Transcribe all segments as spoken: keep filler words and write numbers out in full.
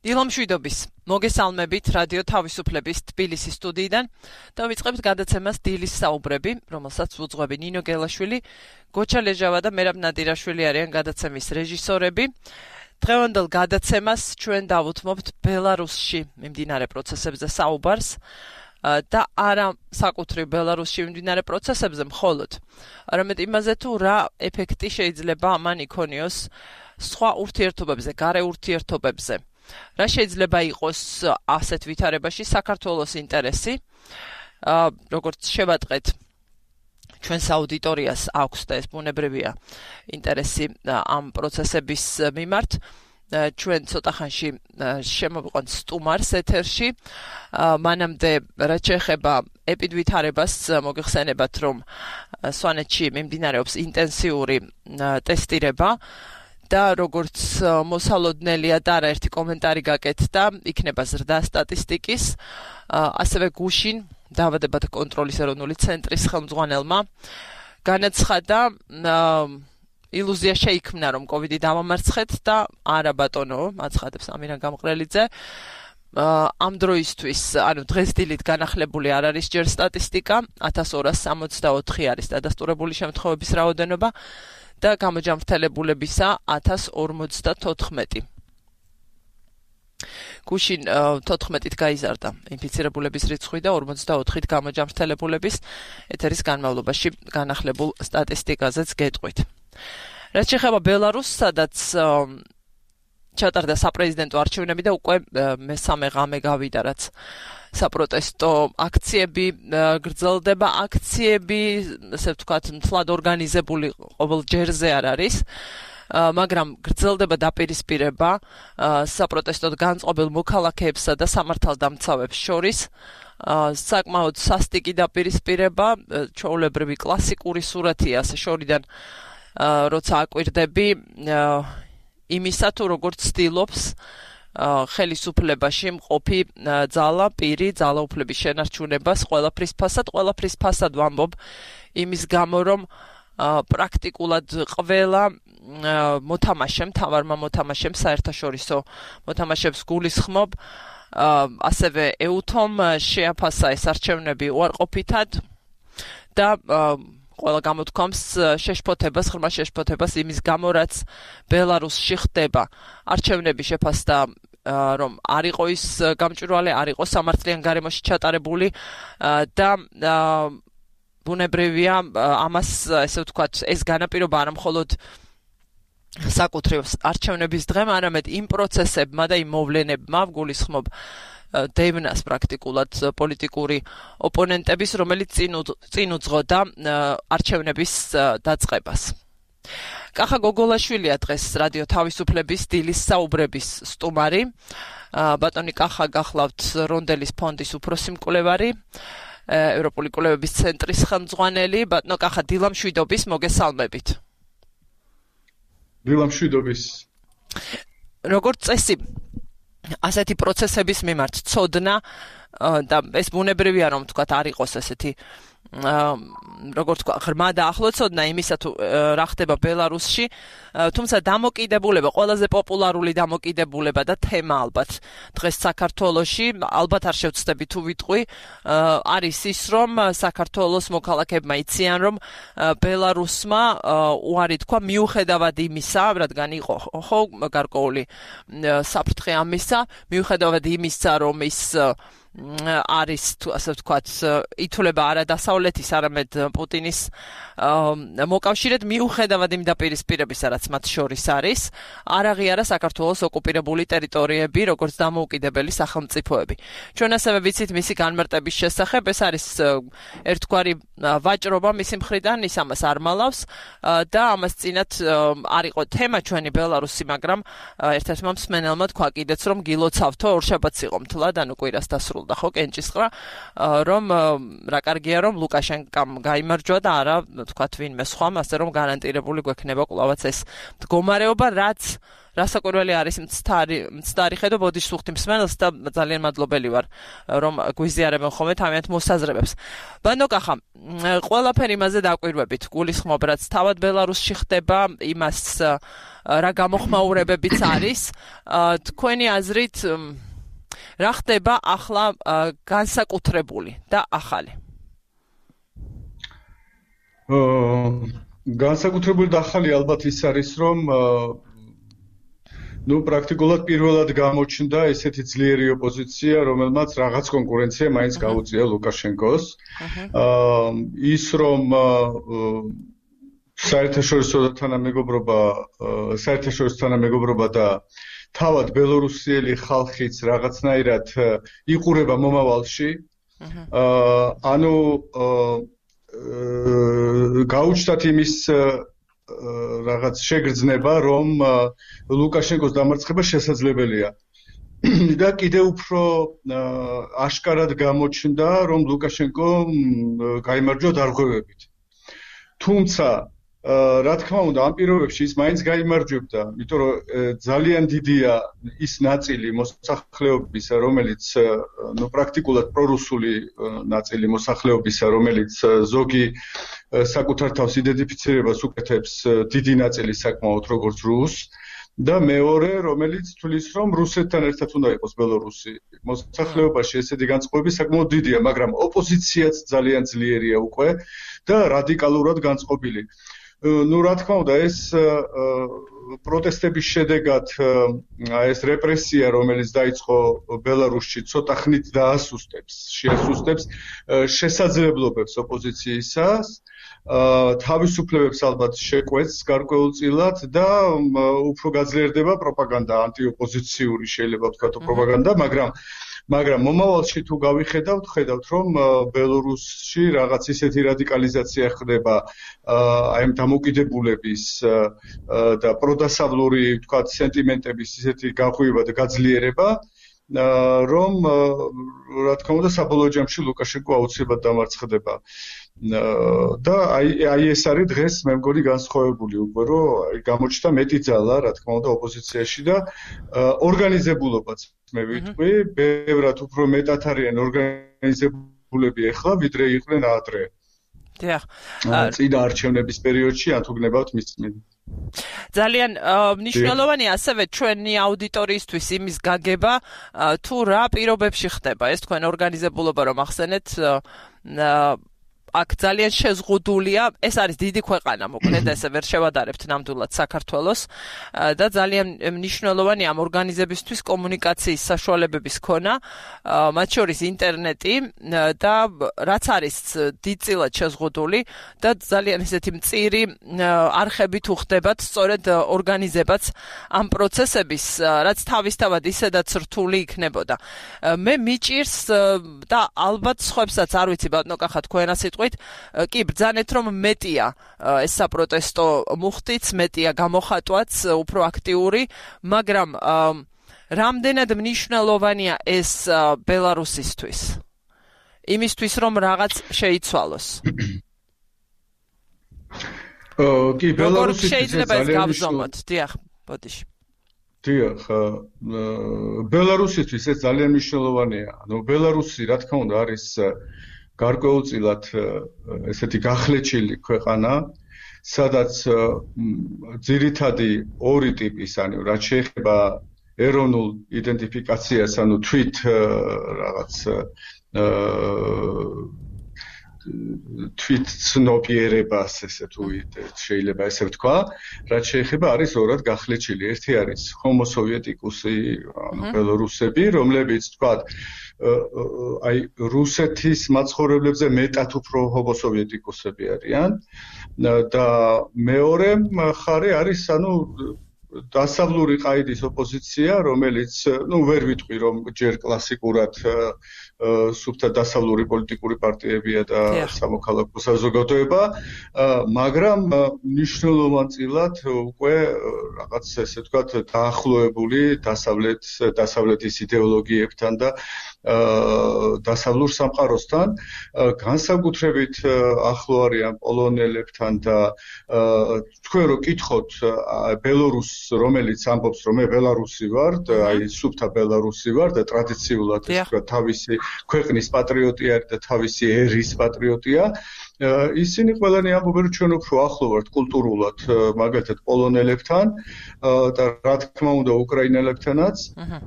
დილამშვიდობის მოგესალმებით რადიო თავისუფლების თბილისის სტუდიიდან და ვიწყებთ გადაცემას დილის საუბრები, რომელსაც უძღვები ნინო გელაშვილი, გოჩა ლეჟავა და მერაბ ნადირაშვილი არიან გადაცემის რეჟისორები. დღევანდელ გადაცემას ჩვენ დავუთმობთ ბელარუსში მიმდინარე პროცესებზე საუბარს და არა საკუთრივ ბელარუსში მიმდინარე პროცესებზე მხოლოდ, არამედ იმაზე თუ რა ეფექტი შეიძლება ამან იქონიოს სხვა ურთიერთობებზე, გარე ურთიერთობებზე. რა შეიძლება იყოს ასეთ ვითარებაში საქართველოს ინტერესი, როგორც შევატყეთ ჩვენს აუდიტორიას აქვს და ეს ბუნებრივია ინტერესი ამ პროცესების მიმართ. ჩვენ ცოტა ხანში შემოვიყვანთ სტუმარს ეთერში. მანამდე რაც შეეხება ეპიდვითარებას მოგეხსენებათ, რომ სვანეთში მიმდინარეობს ინტენსიური ტესტირება და როგორც მოსალოდნელია და არაერთი კომენტარი გაკეთდა, იქნება ზრდა სტატისტიკის, ასევე გუშინ დაავადებათა კონტროლის ეროვნული ცენტრის ხელმძღვანელმა განაცხადა, ილუზია შეიქმნა, რომ კოვიდი დავამარცხეთ და არა ბატონო, აცხადებს ამირან გამყრელიძე. ამ დროისთვის, ანუ დღეს დილით განახლებული არ არის ჯერ სტატისტიკა, ათას ორას სამოცდაოთხი არის დადასტურებული შემთხვევების რაოდენობა და გამოჯამრთელებულებისა ათას ორმოცდათოთხმეტი. გუშინ თოთხმეტით გაიზარდა ინფიცირებულების რიცხვი და ორმოცდაოთხით გამოჯამრთელებულების ეთერის განმავლობაში განახლებულ სტატისტიკაზეც გეტყვით. რაც შეეხება ბელარუსს, სადაც ჩატარდა საპრეზიდენტო არჩევნები და უკვე მესამე ღამე გავიდა, რაც საპროტესტო აქციები გრძელდება, აქციები, ესე ვთქვათ, მთლად ორგანიზებული ყოველ ჯერზე არ არის, მაგრამ გრძელდება დაპირისპირება საპროტესტოდ განწყობილ მოქალაქეებსა და სამართალდამცავებს შორის. საკმაოდ სასტიკი დაპირისპირება, ჩვეულებრივი კლასიკური სურათია ასე შორიდან, როცა აკვირდები იმისა თუ როგორც ცდილობს ხელისუფლებაში მყოფი ძალა, პირი, ძალაუფლების შენარჩუნებას ყველაფრის ფასად, ყველაფრის ფასად ვამბობ იმის გამო, რომ პრაქტიკულად ყველა მოთამაშემ, მთავარმა მოთამაშემ, საერთაშორისო მოთამაშებს გულისხმობ, ასევე ეუთომ შეაფასა ეს არჩევნები უარყოფითად და ყველა გამოთქვამს შეშფოთებას, ღრმა შეშფოთებას იმის გამო, რაც ბელარუსში ხდება. არჩევნები შეფასდა, რომ არ იყო ის გამჭვირვალე, არ იყო სამართლიან გარემოში ჩატარებული და ბუნებრივია ამას, ესე ვთქვათ, ეს განაპირობა არა მხოლოდ საკუთრივ არჩევნების დღემ, არამედ იმ პროცესებმა და იმ მოვლენებმა გულისხმობ დევნას პრაქტიკულად პოლიტიკური ოპონენტების, რომელიც წინ უძღოდა არჩევნების დაწყებას. კახა გოგოლაშვილია დღეს რადიო თავისუფლების დილის საუბრების სტუმარი. ბატონი კახა გახლავთ რონდელის ფონდის უფროსი მკვლევარი, ევროპული კვლევების ცენტრის ხელმძღვანელი. ბატონო კახა, დილამშვიდობის, მოგესალმებით. დილამშვიდობის. როგორც წესი, ასეთი პროცესების მიმართ ცოდნა და ეს ბუნებრივია, რომ თქვათ არ იყოს ესეთი როგორც თქვა ღრმა და ახლო ცოდნა იმისა თუ რა ხდება ბელარუსში, თუმცა დამოკიდებულება, ყველაზე პოპულარული დამოკიდებულება და თემა ალბათ დღეს საქართველოში, ალბათ არ შევცდები თუ ვიტყვი, არის ის, რომ საქართველოს მოქალაქეებმა იციან, რომ ბელარუსმა უარი თქვა მიუხედავად იმისა, რადგან იყო ხო გარკვეული საფრთხე ამისა, მიუხედავად იმისა, რომ ის არის თუ ასე ვთქვათ, ითვლება არა დასავლეთის, არამედ პუტინის მოკავშირედ, მიუხედავად იმ დაპირისპირებისა, რაც მათ შორის არის, არ აღიარა საქართველოს ოკუპირებული ტერიტორიები, როგორც დამოუკიდებელი სახელმწიფოები. ჩვენ ასევე ვიცით მისი განმარტების შესახებ, ეს არის ერთგვარი ვაჭრობა მისი მხრიდან, ის ამას არ მალავს და ამას წინათ არ იყო თემა ჩვენი ბელარუსი, მაგრამ ერთ-ერთმა მსმენელმა თქვა კიდეც, რომ გილოცავთო ორშაბათს იყო მთლად, ანუ კვირას დასრულდა სრულდა ხო კენჭისყრა, რომ რა კარგია რომ ლუკაშენკამ გაიმარჯვა და არა თქვათ ვინმე სხვამ, ასე რომ გარანტირებული გვექნება კვლავაც ეს მდგომარეობა, რაც რასაკვირველი არის მცდარი მცდარი ხედო ბოდიშ სუხთი მსმენელს და ძალიან მადლობელი ვარ რომ გვიზიარებენ ხოლმე თავიანთ მოსაზრებებს. ბანოკახა, ყველაფერი იმაზე დაკვირვებით, გულისხმობ რაც თავად ბელარუსში ხდება, იმას რა გამოხმაურებებიც არის, თქვენი აზრით რა ხდება ახლა განსაკუთრებული და ახალი? განსაკუთრებული და ახალი ალბათ ის არის რომ ნუ პრაქტიკულად პირველად გამოჩნდა ესეთი ძლიერი ოპოზიცია, რომელმაც რაღაც კონკურენცია მაინც გაუწია ლუკაშენკოს. ის რომ საერთაშორისო თანამეგობრობა, საერთაშორისო თანამეგობრობა და თავად ბელორუსიელი ხალხიც რაღაცნაირად იყურება მომავალში. ანუ გაუჩნდათ იმის რაღაც შეგრძნება, რომ ლუკაშენკოს დამარცხება შესაძლებელია. და კიდევ უფრო აშკარად გამოჩნდა, რომ ლუკაშენკო გაიმარჯვა დარღვევებით. თუმცა, რა თქმა უნდა, ამ პირობებში ის მაინც გაიმარჯვებდა, იმიტომ რომ ძალიან დიდია ის ნაწილი მოსახლეობისა, რომელიც ნუ პრაქტიკულად პრორუსული ნაწილი მოსახლეობისა, რომელიც ზოგი საკუთარ თავს იდენტიფიცირებას უკეთებს დიდი ნაწილი საკმაოდ როგორც რუსს და მეორე რომელიც თulis რომ რუსეთთან ერთად უნდა იყოს ბელორუსი. მოსახლეობაში ესეთი განწყობები საკმაოდ დიდია, მაგრამ ოპოზიციაც ძალიან ძლიერია უკვე და რადიკალურად განწყობილი. ნუ რა თქმა უნდა ეს პროტესტების შედეგად ეს რეპრესია რომელიც დაიწყო ბელარუსში ცოტა ხნით დაასუსტებს, შეასუსტებს შესაძლებლობებს ოპოზიციისას, თავისუფლებებს ალბათ შეკვეთს გარკვეულწილად და უფრო გაძლიერდება პროპაგანდა, ანტიოპოზიციური შეიძლება ვთქვათ პროპაგანდა, მაგრამ მაგრამ მომავალში თუ გავიხედავთ, ხედავთ რომ ბელორუსში რაღაც ისეთი რადიკალიზაცია ხდება აი ამ დამოკიდებულების და პროდასავლური ვთქვათ სენტიმენტების ისეთი გაღვივა და გაძლიერება, რომ რა თქმა უნდა საბოლოო ჯამში ლუკაშენკო აუცილებლად დამარცხდება. და აი აი ეს არის დღეს მე მგონი განსხვავებული უკვე რომ გამოჩნდა მეტი ძალა რა თქმა უნდა ოპოზიციაში და ორგანიზებულობაც მე ვიტყვი ბევრად უფრო მეტად არიან ორგანიზებულები ახლა ვიდრე იყვნენ ადრე. დიახ. წინა არჩევნების პერიოდში ან თუ გნებავთ მის წინ. ძალიან მნიშვნელოვანია ასევე ჩვენი აუდიტორიისთვის იმის გაგება თუ რა პირობებში ხდება ეს თქვენ ორგანიზებულობა რომ ახსენეთ აქ ძალიან შეზღუდულია, ეს არის დიდი ქვეყანა, მოკლედ ესე ვერ შევადარებთ ნამდვილად საქართველოს და ძალიან მნიშვნელოვანი ამ ორგანიზებისთვის კომუნიკაციის საშუალებების ქონა, მათ შორის ინტერნეტი და რაც არის დიდწილად შეზღუდული და ძალიან ესეთი მწირი არხები თუ ხდებათ, სწორედ ორგანიზებაც ამ პროცესების, რაც თავისთავად ისედაც რთული იქნებოდა. მე მიჭირს და ალბათ სხვებსაც არ ვიცი ბატონო თქვენ ასე კი ბრძანეთ რომ მეტია ეს საპროტესტო მუხტიც, მეტია გამოხატვაც, უფრო აქტიური, მაგრამ რამდენად მნიშვნელოვანია ეს ბელარუსისთვის? იმისთვის რომ რაღაც შეიცვალოს. კი, ბელარუსისთვის შეიძლება ეს გავზომოთ, დიახ, ბოდიში. დიახ, ბელარუსისთვის ეს ძალიან მნიშვნელოვანია. ანუ ბელარუსი რა თქმა უნდა არის გარკვეულწილად ესეთი გახლეჩილი ქვეყანა, სადაც ძირითადი ორი ტიპის, ანუ რაც შეეხება ეროვნულ იდენტიფიკაციას, ანუ თვით რაღაც თვით ცნობიერებას, ესე თუ შეიძლება ესე ვთქვა, რაც შეეხება არის ორად გახლეჩილი. ერთი არის ჰომო სოვიეტიკუსი, ანუ ბელორუსები, რომლებიც ვთქვათ აი რუსეთის მაცხოვრებლებზე მეტად უფრო ჰომო სოვიეტიკუსები არიან და მეორე მხარე არის ანუ დასავლური ყაიდის ოპოზიცია, რომელიც ნუ ვერ ვიტყვი რომ ჯერ კლასიკურად სუფთა დასავლური პოლიტიკური პარტიებია და სამოქალაქო საზოგადოება, მაგრამ მნიშვნელოვანწილად უკვე რაღაც ესე ვთქვათ დაახლოებული დასავლეთ დასავლეთის იდეოლოგიებთან და დასავლურ სამყაროსთან, განსაკუთრებით ახლო არიან პოლონელებთან და თქვენ რო კითხოთ ბელორუსს, რომელიც ამბობს, რომ მე ბელარუსი ვარ, აი სუფთა ბელარუსი ვარ და ტრადიციულად ეს თქვა თავისი ქვეყნის პატრიოტი არის და თავისი ერის პატრიოტია. ისინი ყველანი ამბობენ, რომ ჩვენ უფრო ახლო ვართ კულტურულად, მაგალითად პოლონელებთან და რა თქმა უნდა უკრაინელებთანაც,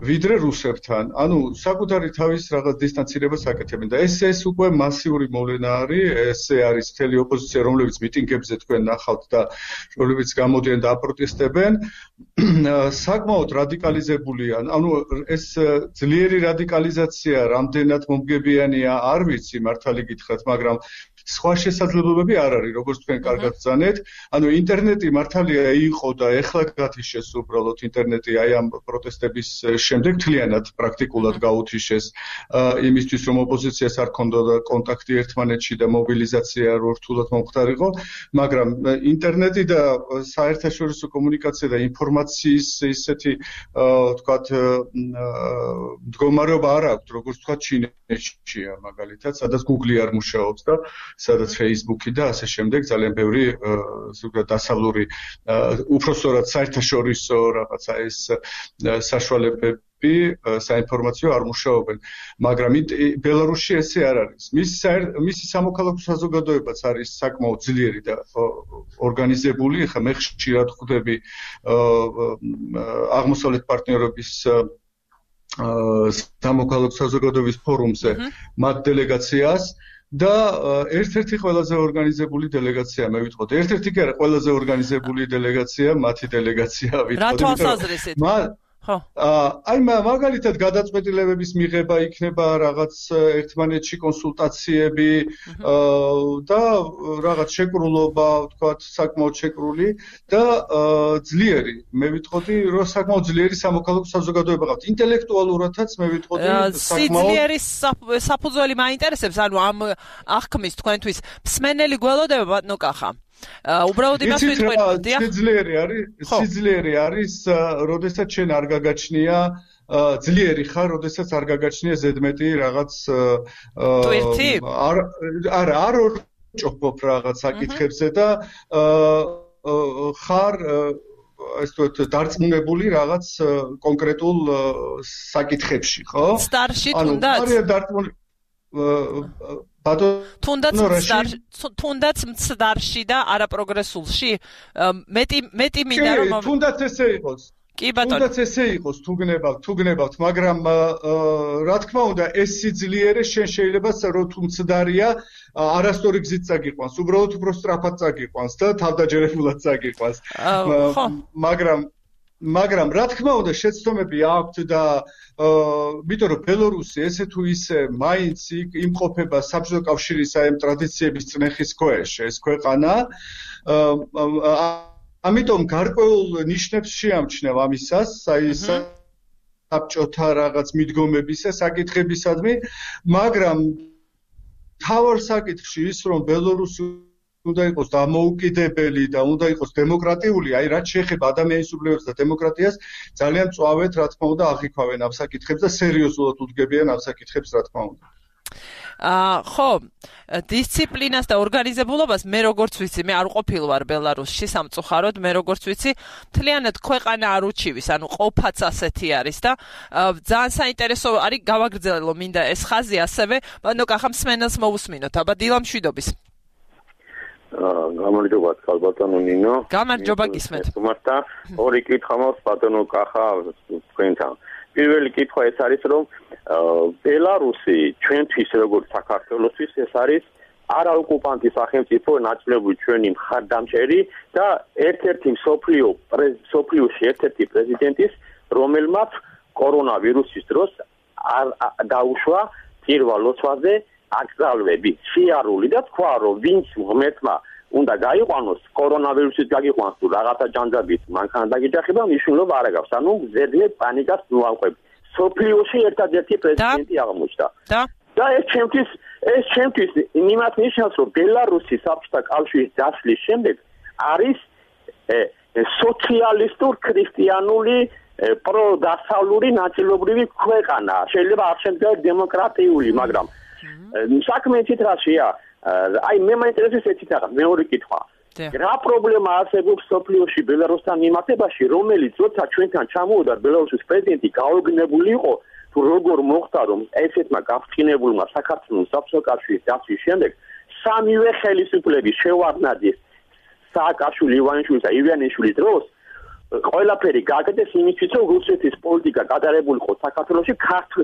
ვიდრე რუსებთან. ანუ საკუთარი თავის რაღაც დისტანცირებას აკეთებენ და ეს ეს უკვე მასიური მოვლენა არის, ესე არის მთელი ოპოზიცია, რომლებიც მიტინგებზე თქვენ ნახავთ და რომლებიც გამოდიან და აპროტესტებენ, საკმაოდ რადიკალიზებულია. ანუ ეს ძლიერი რადიკალიზაცია რამდენად მომგებიანია, არ ვიცი მართალი გითხრათ, მაგრამ სხვა შესაძლებლობები არ არის, როგორც თქვენ კარგად ბრძანეთ. ანუ ინტერნეტი მართალია იყო და ეხლა გათიშეს უბრალოდ ინტერნეტი აი ამ პროტესტების შემდეგ მთლიანად პრაქტიკულად გაუთიშეს იმისთვის, რომ ოპოზიციას არ ქონდოდა კონტაქტი ერთმანეთში და მობილიზაცია რო რთულად მომხდარიყო, მაგრამ ინტერნეტი და საერთაშორისო კომუნიკაცია და ინფორმაციის ისეთი ვთქვათ მდგომარეობა არ აქვს, როგორც ვთქვათ ჩინეთშია მაგალითად, სადაც Google არ მუშაობს და სადაც Facebook-ი და ასე შემდეგ ძალიან ბევრი ზოგადად დასავლური უпростоრად საერთაშორისო რაღაცა ეს საშუალებები საინფორმაციო არ მუშაობენ, მაგრამ ბელარუსში ესე არ არის. მისი მისი სამოქალაქო საზოგადოებაც არის საკმაოდ ძლიერი და ორგანიზებული. ხა მე ხშირად ხვდები აღმოსავლეთ პარტნიორობის სამოქალაქო საზოგადოების ფორუმზე მათ დელეგაციას და ერთ-ერთი ყველაზე ორგანიზებული დელეგაცია მე ვიტყოდ. ერთ-ერთი კი არა, ყველაზე ორგანიზებული დელეგაცია, მათი დელეგაცია ვიტყოდ. რა თვალსაზრისით? ხო. აი მაგალითად გადაწყვეტილებების მიღება იქნება რაღაც ერთმანეთში კონსულტაციები და რაღაც შეკრულობა, ვთქვათ, საკმაოდ შეკრული და ძლიერი. მე ვიტყოდი, რომ საკმაოდ ძლიერი სამოქალაქო საზოგადოება ყავთ. ინტელექტუალურადაც მე ვიტყოდი საკმაოდ ძლიერი საფუძველი მაინტერესებს, ანუ ამ აღქმის თქვენთვის მსმენელი გველოდება ბატონო კახა. უბრალოდ იმას ვიტყვით, სიძლიერე არის, სიძლიერე არის, როდესაც შენ არ გაგაჩნია ძლიერი ხარ, როდესაც არ გაგაჩნია ზედმეტი რაღაც არ არა, არ ორჭოფობ რაღაც საკითხებზე და ხარ ეს თქო დარწმუნებული რაღაც კონკრეტულ საკითხებში, ხო? სტარში თუნდაც? ანუ არის დარწმუნებული თუნდაც თუნდაც მცდარში და არაპროგრესულში მეტი მეტი მინდა რომ თუნდაც ესე იყოს კი ბატონო თუნდაც ესე იყოს თუ გნებავთ თუ გნებავთ მაგრამ რა თქმა უნდა ეს სიძლიერე შენ შეიძლება რომ თუ მცდარია არასწორი გზით წაგიყვანს უბრალოდ უფრო სწრაფად წაგიყვანს და თავდაჯერებულად წაგიყვანს მაგრამ მაგრამ რა თქმა უნდა შეცდომები აქვთ და იმიტომ რომ ბელორუსი ესე თუ ისე მაინც იმყოფება საბჭოთა კავშირის აი ამ ტრადიციების წნეხის ქვეშ ეს ქვეყანა ამიტომ გარკვეულ ნიშნებს შეამჩნევ ამისას აი საბჭოთა რაღაც მიდგომებისა საკითხებისადმი მაგრამ თავარ საკითხში ის რომ ბელორუსი უნდა იყოს დამოუკიდებელი და უნდა იყოს დემოკრატიული, აი რაც შეეხება ადამიანის უფლებებს და დემოკრატიას, ძალიან მწვავედ რა თქმა უნდა აღიქვავენ ამ საკითხებს და სერიოზულად უდგებიან ამ საკითხებს რა თქმა უნდა. აა ხო, დისციპლინას და ორგანიზებულობას მე როგორც ვიცი, მე არ ყოფილ ვარ ბელარუსში სამწუხაროდ, მე როგორც ვიცი, მთლიანად ქვეყანა არ უჩივის, ანუ ყოფაც ასეთი არის და ძალიან საინტერესო არის გავაგრძელო მინდა ეს ხაზი ასევე, ბანო კახა მსმენელს მოусმინოთ, აბა დილა მშვიდობის. გამარჯობა ბატონო ნინო. გამარჯობა გისმენთ. თუმცა ორი კითხვა მაქვს ბატონო კახა თქვენთან. პირველი კითხვა ეს არის რომ ბელარუსი ჩვენთვის როგორც საქართველოსთვის ეს არის არაოკუპანტი სახელმწიფო ნაწილობრივ ჩვენი მხარდამჭერი და ერთ-ერთი მსოფლიო მსოფლიოში ერთ-ერთი პრეზიდენტის რომელმაც კორონავირუსის დროს არ დაუშვა პირველ ლოცვაზე აკრძალვები სიარული და თქვა რომ ვინც ღმერთმა უნდა გაიყვანოს კორონავირუსით გაგიყვანს თუ რაღაცა ჯანჯაბით მანქანა დაგიჯახება მნიშვნელობა არ აქვს ანუ ზედმეტ პანიკას ნუავყვები სოფლიოში ერთადერთი პრეზიდენტი აღმოჩნდა და ეს ჩემთვის ეს ჩემთვის იმათ ნიშნავს რომ ბელარუსი საბჭოთა კავშირის დასლის შემდეგ არის სოციალისტურ ქრისტიანული პროდასავლური ნაწილობრივი ქვეყანა. შეიძლება არ შემდგარ დემოკრატიული, მაგრამ საქმე იცით რაშია? აი მე მაინტერესებს ეცით რაღაც მეორე კითხვა. რა პრობლემა არსებობს სოფლიოში ბელარუსთან მიმართებაში, რომელიც როცა ჩვენთან ჩამოვიდა ბელარუსის პრეზიდენტი გაოგნებული იყო, თუ როგორ მოხდა რომ ესეთმა გაფრთხილებულმა საქართველოს საბჭოთა დაცვის შემდეგ სამივე ხელისუფლების შევარდნაძის სააკაშვილი, ივანიშვილის და ივანიშვილის დროს ყველაფერი გაკეთეს იმისთვის, რომ რუსეთის პოლიტიკა გადარებულიყო საქართველოში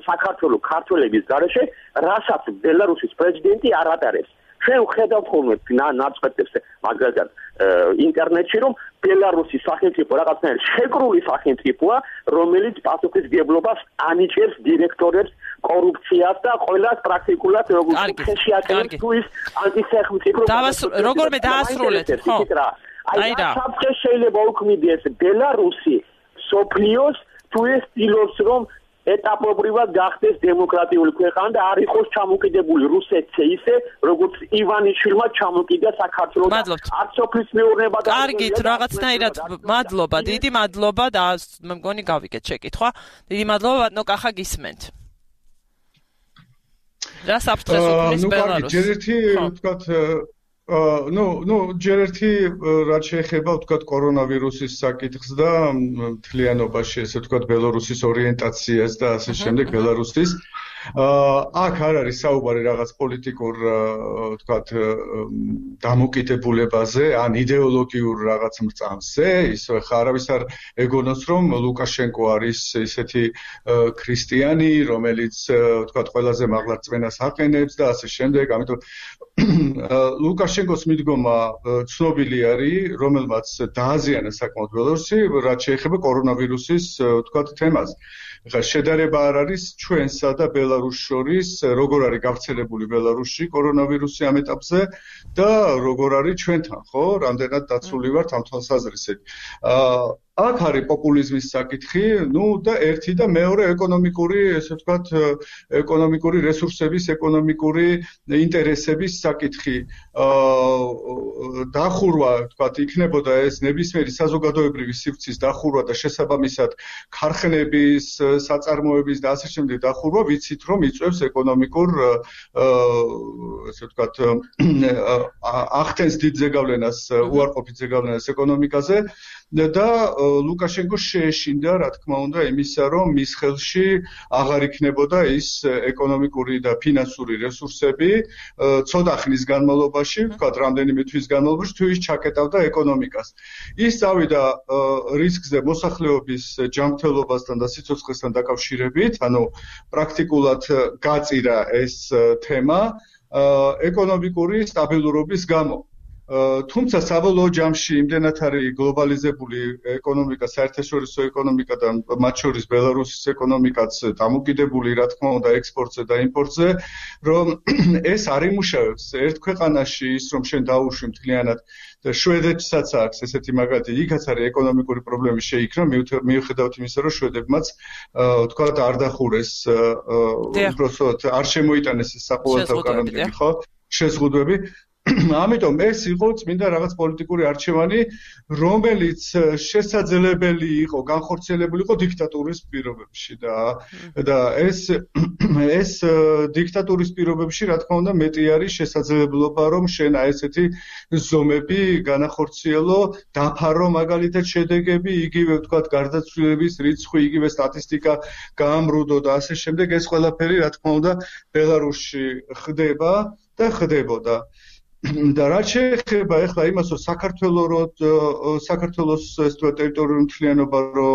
საქართველოს ქართველების გარეშე, რასაც ბელარუსის პრეზიდენტი არ ატარებს. ჩვენ ვხედავთ ხოლმე ნაწყვეტებს მაგალითად ინტერნეტში, რომ ბელარუსის სახელმწიფო რაღაცნაირად შეკრული სახელმწიფოა, რომელიც პასუხისმგებლობას ანიჭებს დირექტორებს კორუფციას და ყველას პრაქტიკულად როგორც ხეში აკეთებს თუ ის ანტისახელმწიფო როგორმე დაასრულეთ, ხო? აი რა საფრთხე შეიძლება უქმნიდეს ბელარუსი სოფლიოს თუ ეს ცდილობს რომ ეტაპობრივად გახდეს დემოკრატიული ქვეყანა და არ იყოს ჩამოკიდებული რუსეთზე ისე როგორც ივანიშვილმა ჩამოკიდა საქართველოს არც სოფლის მეურნეობა და კარგით რაღაცნაირად მადლობა დიდი მადლობა და მე მგონი გავიგეთ შეკითხვა დიდი მადლობა ბატონო კახა გისმენთ რა საფრთხეს უქმნის ბელარუსს ჯერ ერთი ვთქვათ ну, ну, ჯერ ერთი რაც შეეხება ვთქვათ კორონავირუსის საკითხს და მთლიანობაში ესე ვთქვათ ბელარუსის ორიენტაციას და ასე შემდეგ ბელარუსის აქ არ არის საუბარი რაღაც პოლიტიკურ ვთქვათ დამოკიდებულებაზე ან იდეოლოგიურ რაღაც მრწამსზე ისე ხა არავის არ ეგონოს რომ ლუკაშენკო არის ისეთი ქრისტიანი რომელიც ვთქვათ ყველაზე მაღლა რწმენას აყენებს და ასე შემდეგ ამიტომ ლუკაშენკოს მიდგომა ცნობილი არის რომელმაც დააზიანა საკმაოდ ბელარუსი რაც შეეხება კორონავირუსის ვთქვათ თემას ხა შედარება არ არის ჩვენსა და ბელარუსს შორის როგორ არის გავრცელებული ბელარუსში კორონავირუსი ამ ეტაპზე და როგორ არის ჩვენთან ხო რამდენად დაცული ვართ ამ თვალსაზრისით აქ არის პოპულიზმის საკითხი, ну და ერთი და მეორე ეკონომიკური, ესე ვთქვათ, ეკონომიკური რესურსების, ეკონომიკური ინტერესების საკითხი. აა დახურვა, ვთქვათ, იქნებოდა ეს ნებისმიერი საზოგადოებრივი სივრცის დახურვა და შესაბამისად ქარხნების, საწარმოების და ასე შემდეგ დახურვა, ვიცით რომ იწვევს ეკონომიკურ აა ესე ვთქვათ, ახდენს დიდ ზეგავლენას, უარყოფით ზეგავლენას ეკონომიკაზე და ლუკაშენკო შეეშინდა, რა თქმა უნდა, იმისა, რომ მის ხელში აღარ იქნებოდა ის ეკონომიკური და ფინანსური რესურსები ცოტა ხნის განმავლობაში, ვთქვათ, რამდენიმე თვის განმავლობაში, თუ ის ჩაკეტავდა ეკონომიკას. ის წავიდა რისკზე მოსახლეობის ჯანმრთელობასთან და სიცოცხლესთან დაკავშირებით, ანუ პრაქტიკულად გაწირა ეს თემა ეკონომიკური სტაბილურობის გამო. თუმცა საბოლოო ჯამში იმდენად არის გლობალიზებული ეკონომიკა, საერთაშორისო ეკონომიკა და მათ შორის ბელარუსის ეკონომიკაც დამოკიდებული, რა თქმა უნდა, ექსპორტზე და იმპორტზე, რომ ეს არ იმუშავებს ერთ ქვეყანაში ის, რომ შენ დაუშვი მთლიანად და შვედეთსაც აქვს ესეთი მაგალითი, იქაც არის ეკონომიკური პრობლემები შეიქმნა, მიუხედავად იმისა, რომ შვედებმაც ვთქვათ არ დახურეს, უბრალოდ არ შემოიტანეს ეს საყოველთაო კანონები, ხო? შეზღუდვები. ამიტომ ეს იყო წმინდა რაღაც პოლიტიკური არჩევანი, რომელიც შესაძლებელი იყო, განხორციელებული იყო დიქტატურის პირობებში და და ეს ეს დიქტატურის პირობებში, რა თქმა უნდა, მეტი არის შესაძლებლობა, რომ შენ აი ესეთი ზომები განახორციელო, დაფარო მაგალითად შედეგები, იგივე ვთქვათ, გარდაცვლილების რიცხვი, იგივე სტატისტიკა გაამრუდო და ასე შემდეგ, ეს ყველაფერი, რა თქმა უნდა, ბელარუსში ხდება და ხდებოდა. და რაც შეეხება ახლა იმას, რომ საქართველოს რო საქართველოს ეს ტერიტორიული მთლიანობა რო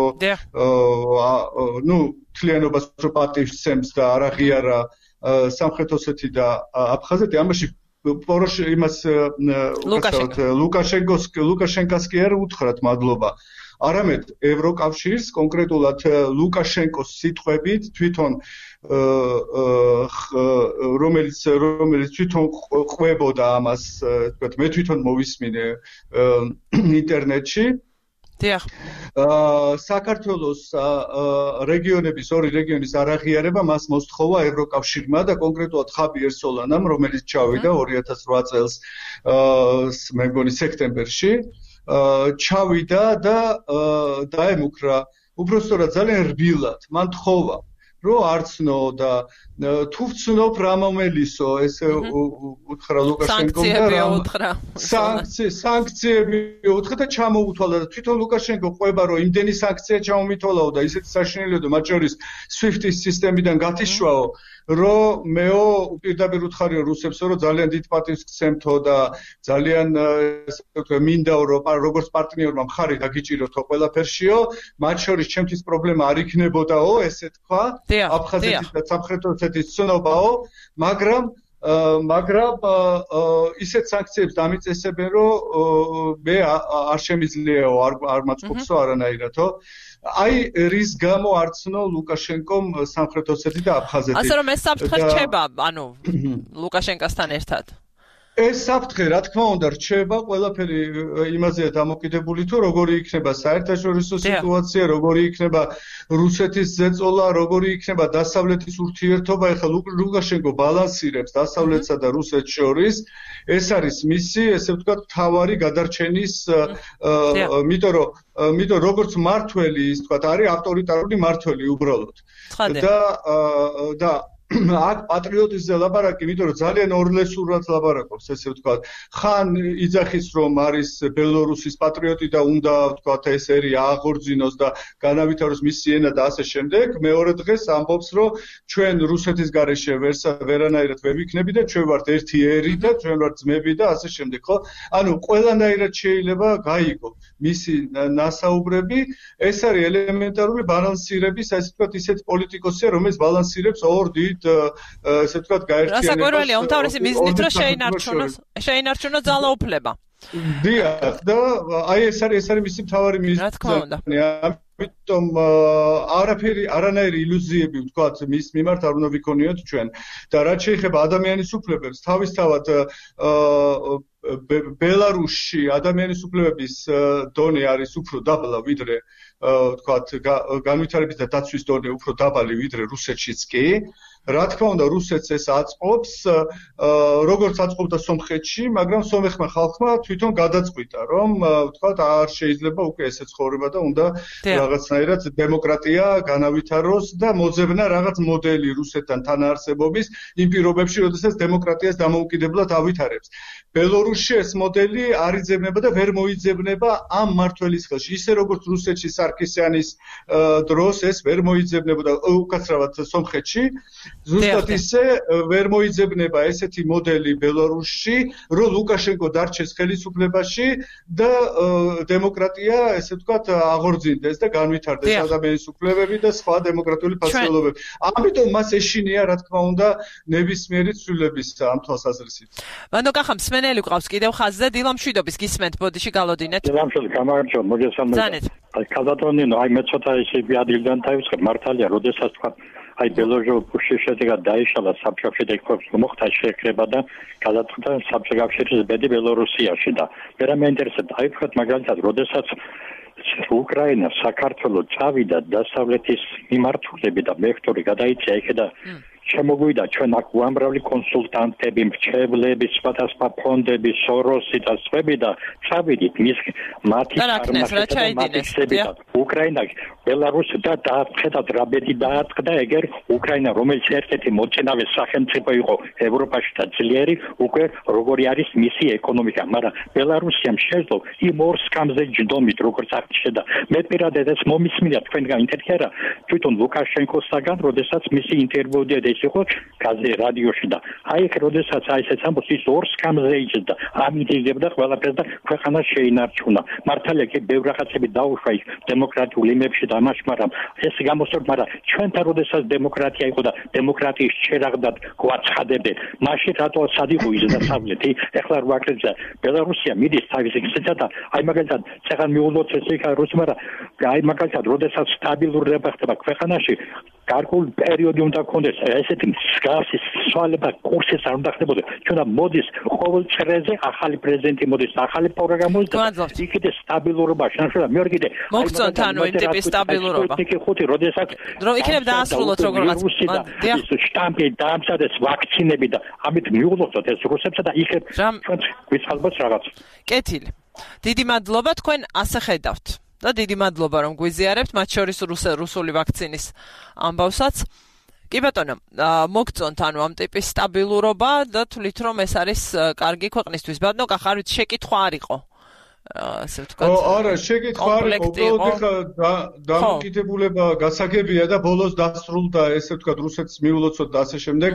ნუ მთლიანობას რო პატივცემს და არ აღიარა სამხრეთ ოსეთი და აფხაზეთი, ამაში პოროშ იმას ლუკაშენკოს ლუკაშენკას კი არ უთხრათ მადლობა. არამედ ევროკავშირს კონკრეტულად ლუკაშენკოს სიტყვებით თვითონ რომელიც რომელიც თვითონ ყვებოდა ამას, თქვათ, მე თვითონ მოვისმინე ინტერნეტში. დიახ. საქართველოს რეგიონების ორი რეგიონის არაღიარება მას მოსთხოვა ევროკავშირმა და კონკრეტულად ხაბიერ სოლანამ, რომელიც ჩავიდა ორი ათას რვა წელს მე მგონი სექტემბერში. ჩავიდა და დაემუქრა უბრალოდ ძალიან რბილად, მან თხოვა რო არცნო და თუ ვცნობ რა მომელისო ესე უთხრა ლუკაშენკომ და რა სანქციები სანქციები უთხრა და ჩამოუთვალა და თვითონ ლუკაშენკო ყვება რომ იმდენი სანქცია ჩამომითვალაო და ისეთი საშინელიო მათ შორის სვიფტის სისტემიდან გათიშვაო რომ მეო პირდაპირ უთხარიო რუსებსო რომ ძალიან დიდ პატივს გცემთო და ძალიან ესე ვთქვი მინდაო რომ როგორც პარტნიორმა მხარი დაგიჭიროთო ყველაფერშიო მათ შორის ჩემთვის პრობლემა არ იქნებოდაო ესე თქვა აფხაზეთის და სამხრეთ ოსეთის ცნობაო მაგრამ მაგრამ ისეთ სანქციებს დამიწესებენ რომ მე არ შემიძლიაო არ მაწყობსო არანაირადო აი რის გამო არცნო ლუკაშენკომ სამხრეთ ოსეთი და აფხაზეთი ასე რომ ეს საფრთხე რჩება ანუ ლუკაშენკასთან ერთად ეს საფრთხე რა თქმა უნდა რჩება ყველაფერი იმაზეა დამოკიდებული თუ როგორი იქნება საერთაშორისო სიტუაცია როგორი იქნება რუსეთის ზეწოლა როგორი იქნება დასავლეთის ურთიერთობა ეხლა ლუკაშენკო ბალანსირებს დასავლეთსა და რუსეთს შორის ეს არის მისი ესე ვთქვათ თავარი გადარჩენის იმიტომ რომ იმიტომ როგორც მართველი ის ვთქვათ არის ავტორიტარული მართველი უბრალოდ და და აქ პატრიოტიზმზე ლაპარაკი, იმიტომ რომ ძალიან ორლესურად ლაპარაკობს, ესე ვთქვათ. ხან იძახის რომ არის ბელორუსის პატრიოტი და უნდა ვთქვათ ეს ერი აღორძინოს და განავითაროს მისი ენა და ასე შემდეგ. მეორე დღეს ამბობს რომ ჩვენ რუსეთის გარეშე ვერანაირად ვერ ვიქნები და ჩვენ ვართ ერთი ერი და ჩვენ ვართ ძმები და ასე შემდეგ, ხო? ანუ ყველანაირად შეიძლება გაიგო მისი ნასაუბრები. ეს არის ელემენტარული ბალანსირების, ასე ვთქვათ, ისეთ პოლიტიკოსია, რომელიც ბალანსირებს ორ დიდ ესე ვთქვათ გაერთიანებას. რასაკვირველია, უმთავრესი მიზნით რომ შეინარჩუნოს, შეინარჩუნოს ძალაუფლება. დიახ, და აი ეს არის ეს არის მისი მთავარი მიზანი. რა თქმა უნდა. ამიტომ არაფერი არანაირი ილუზიები ვთქვათ მის მიმართ არ უნდა ვიქონიოთ ჩვენ და რაც შეეხება ადამიანის უფლებებს, თავისთავად ბელარუსში ადამიანის უფლებების დონე არის უფრო დაბლა ვიდრე ვთქვათ განვითარების და დაცვის დონე უფრო დაბალი ვიდრე რუსეთშიც კი. რა თქმა უნდა რუსეთს ეს აწყობს როგორც აწყობდა სომხეთში მაგრამ სომეხმა ხალხმა თვითონ გადაწყვიტა რომ ვთქვათ არ შეიძლება უკვე ესე ცხოვრება და უნდა რაღაცნაირად დემოკრატია განავითაროს და მოძებნა რაღაც მოდელი რუსეთთან თანაარსებობის იმ პირობებში როდესაც დემოკრატიას დამოუკიდებლად ავითარებს ბელორუსში ეს მოდელი არ იძებნება და ვერ მოიძებნება ამ მმართველის ხელში ისე როგორც რუსეთში სარქისიანის დროს ეს ვერ მოიძებნებოდა უკაცრავად სომხეთში ზუსტად ისე ვერ მოიძებნება ესეთი მოდელი ბელორუსში, რომ ლუკაშენკო დარჩეს ხელისუფლებაში და დემოკრატია, ესე ვთქვათ, აღორძინდეს და განვითარდეს ადამიანის უფლებები და სხვა დემოკრატიული ფასეულობები. ამიტომ მას ეშინია, რა თქმა უნდა, ნებისმიერი ცვლილების ამ თვალსაზრისით. ბანდო კახა მსმენელი გვყავს კიდევ ხაზზე, დილა მშვიდობის გისმენთ, ბოდიში გალოდინეთ. დილა მშვიდობი, გამარჯობა, მოგესალმებით. აი, კაზატონინო, აი მე ცოტა ისე ადილგან თავისხარ მართალია, როდესაც თქვა აი ბელორუსში შედეგად დაიშალა საბჭოთა კავშირის მოხდა შეკრება და გადაწყვიტა საბჭოთა კავშირის ბედი ბელორუსიაში და მე მე ინტერესებდა აი ვთქვათ მაგალითად როდესაც უკრაინა საქართველოს წავიდა დასავლეთის მიმართულები და ვექტორი გადაიწია იქედა შემოგვიდა ჩვენ აქ უამრავი კონსულტანტები, მრჩევლები, სხვადასხვა ფონდები, სოროსი და სხვები და წავიდით მის მათი წარმატებები უკრაინა ბელარუსი და დააწყდათ რა ბედი დააწყდა ეგერ უკრაინა რომელიც ერთ-ერთი მოწინავე სახელმწიფო იყო ევროპაში და ძლიერი უკვე როგორი არის მისი ეკონომიკა მაგრამ ბელარუსიამ შეძლო იმ ორ სკამზე ჯდომით როგორც აღჭედა მე პირადად ეს მომისმინა თქვენგან ინტერვიუ თვითონ ლუკაშენკოსაგან როდესაც მისი ინტერვიუ იყო გაზე რადიოში და აი ეგ როდესაც აი ესეც ამბობს ის ორ სკამზე იჯდა ამით იგებდა ყველაფერს და ქვეყანა შეინარჩუნა მართალია კი ბევრ რაღაცები დაუშვა იქ დემოკრატიულ იმებში და ამაში მაგრამ ეს გამოსწორდა მაგრამ ჩვენთან როდესაც დემოკრატია იყო და დემოკრატიის ჩერაღდად გვაცხადებდნენ მაშინ რატო სადიყო ის დასავლეთი ეხლა რა ვაკეთებდა ბელარუსია მიდის თავის იქცეთა და აი მაგალითად ცეხან მიულოთ ეს იქ რუსი მაგრამ აი მაგალითად როდესაც სტაბილურობა ხდება ქვეყანაში გარკვეული პერიოდი უნდა გქონდეს ესეთი მსგავსი სვალება კურსის არ უნდა ხდებოდა ჩვენ მოდის ყოველ წრეზე ახალი პრეზიდენტი მოდის ახალი პროგრამები და იქით სტაბილურობა შანსია მეორე კიდე მოგწონთ ანუ იმ ტიპის სტაბილურობა იქ ხუთი როდესაც რომ იქნებ დაასრულოთ როგორღაც ეს შტამპი დაამზადეს ვაქცინები და ამით მიულოცოთ ეს რუსებსა და იქ ჩვენ გვიწყალბოს რაღაც კეთილი დიდი მადლობა თქვენ ასე ხედავთ და დიდი მადლობა რომ გვიზიარებთ, მათ შორის რუსული ვაქცინის ამბავსაც. კი ბატონო, მოგწონთ ანუ ამ ტიპის სტაბილურობა და თვლით რომ ეს არის კარგი ქვეყნისთვის. ბატონო, ხარვით შეკითხვა არ იყო. ასე ვთქვათ. არა, შეკითხვა არ იყო, უბრალოდ ხა დამოკიდებულება გასაგებია და ბოლოს დასრულდა, ესე ვთქვათ, რუსეთს მიულოცოთ და ასე შემდეგ.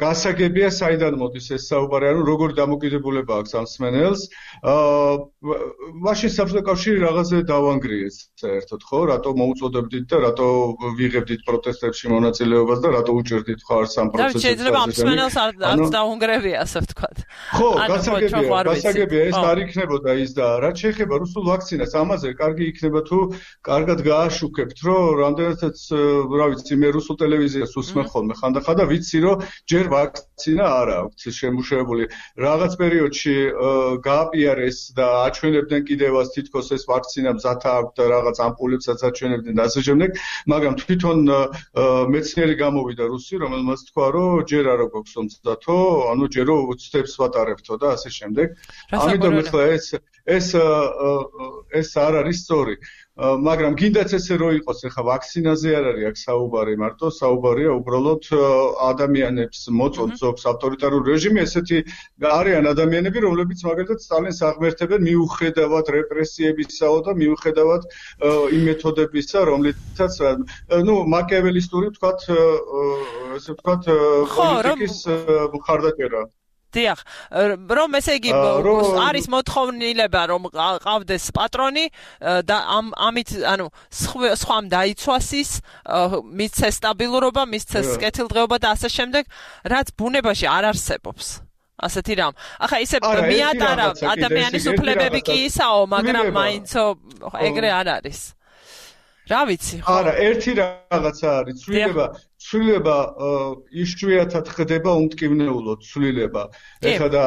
გასაგებია საიდან მოდის ეს საუბარი, ანუ როგორი დამოკიდებულება აქვს ამ სმენელს. მაშინ საბჭოთა კავშირი რაღაცზე დავანგრიეს საერთოდ, ხო? რატო მოუწოდებდით და რატო ვიღებდით პროტესტებში მონაწილეობას და რატო უჭერდით ხარ სამ პროცენტს? და შეიძლება ამ სმენელს არ დაუნგრევია, ასე ვთქვათ. ხო, გასაგებია, გასაგებია, ეს არ იქნებოდა ის და რაც შეეხება რუსულ ვაქცინას, ამაზე კარგი იქნება თუ კარგად გააშუქებთ, რომ რამდენადაც, რა ვიცი, მე რუსულ ტელევიზიას უსმენ ხოლმე ხანდახან და ვიცი, რომ ჯერ ვაქცინა არ აქვს შემუშავებული. რაღაც პერიოდში გააპიარეს და აჩვენებდნენ კიდევაც თითქოს ეს ვაქცინა მზად აქვს და რაღაც ამპულებსაც აჩვენებდნენ და ასე შემდეგ, მაგრამ თვითონ მეცნიერი გამოვიდა რუსი, რომელმაც თქვა, რომ ჯერ არ გვაქვს მზადო, ანუ ჯერ რომ ცდებს ვატარებთო და ასე შემდეგ. ამიტომ ახლა ეს ეს ეს არ არის სწორი, მაგრამ გინდაც ესე რო იყოს, ახლა ვაქცინაზე არ არის აქ საუბარი, მარტო საუბარია უბრალოდ ადამიანებს მოწონთ ზოგს ავტორიტარული რეჟიმი, ესეთი არიან ადამიანები, რომლებიც მაგალითად სტალინს აღმერთებენ მიუხედავად რეპრესიებისაო და მიუხედავად იმ მეთოდებისა, რომლითაც ნუ მაკიაველისტური ვთქვათ, ესე ვთქვათ, პოლიტიკის მხარდაჭერა. დიახ, რომ ესე იგი არის მოთხოვნილება რომ ყავდეს პატრონი და ამ ამით ანუ სხვამ დაიცვას ის მისცეს სტაბილურობა, მისცეს კეთილდღეობა და ასე შემდეგ, რაც ბუნებაში არ არსებობს. ასეთი რამ. ახლა ისე მიატარა ადამიანის უფლებები კი ისაო, მაგრამ მაინცო ეგრე არ არის. რა ვიცი, ხო? არა, ერთი რაღაცა არის, ცვლილება ცვლილება იშვიათად ხდება უმტკივნეულოდ ცვლილება. ეხლა და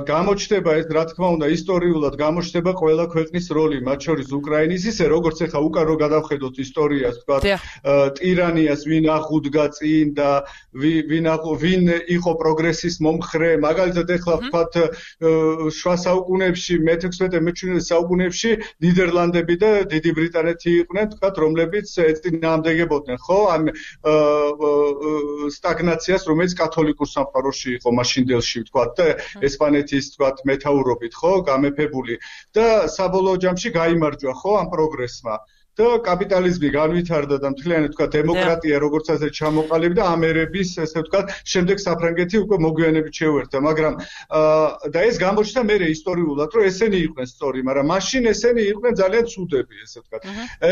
გამოჩნდება ეს, რა თქმა უნდა, ისტორიულად გამოჩნდება ყველა ქვეყნის როლი, მათ შორის უკრაინის, ისე როგორც ეხლა უკან რო გადავხედოთ ისტორიას, ვთქვათ, ტირანიას ვინ აღუდგა წინ და ვინ ვინ იყო პროგრესის მომხრე, მაგალითად ეხლა ვთქვათ, შუა საუკუნეებში, მეთექვსმეტე მეჩვიდმეტე საუკუნეებში ნიდერლანდები და დიდი ბრიტანეთი იყვნენ, ვთქვათ, რომლებიც ეწინააღმდეგებოდნენ, ხო? ამ სტაგნაციას, რომელიც კათოლიკურ სამყაროში იყო მაშინდელში, ვთქვათ, და ესპანეთის, ვთქვათ, მეთაურობით, ხო, გამეფებული და საბოლოო ჯამში გაიმარჯვა, ხო, ამ პროგრესმა. და კაპიტალიზმი განვითარდა და მთლიანად თქვა დემოკრატია როგორც ასე ჩამოყალიბდა და ამერების ესე ვთქვათ შემდეგ საფრანგეთი უკვე მოგვიანებით შეუერთდა, მაგრამ და ეს გამოჩნდა მერე ისტორიულად, რომ ესენი იყვნენ სწორი, მაგრამ მაშინ ესენი იყვნენ ძალიან ცუდები, ესე ვთქვათ.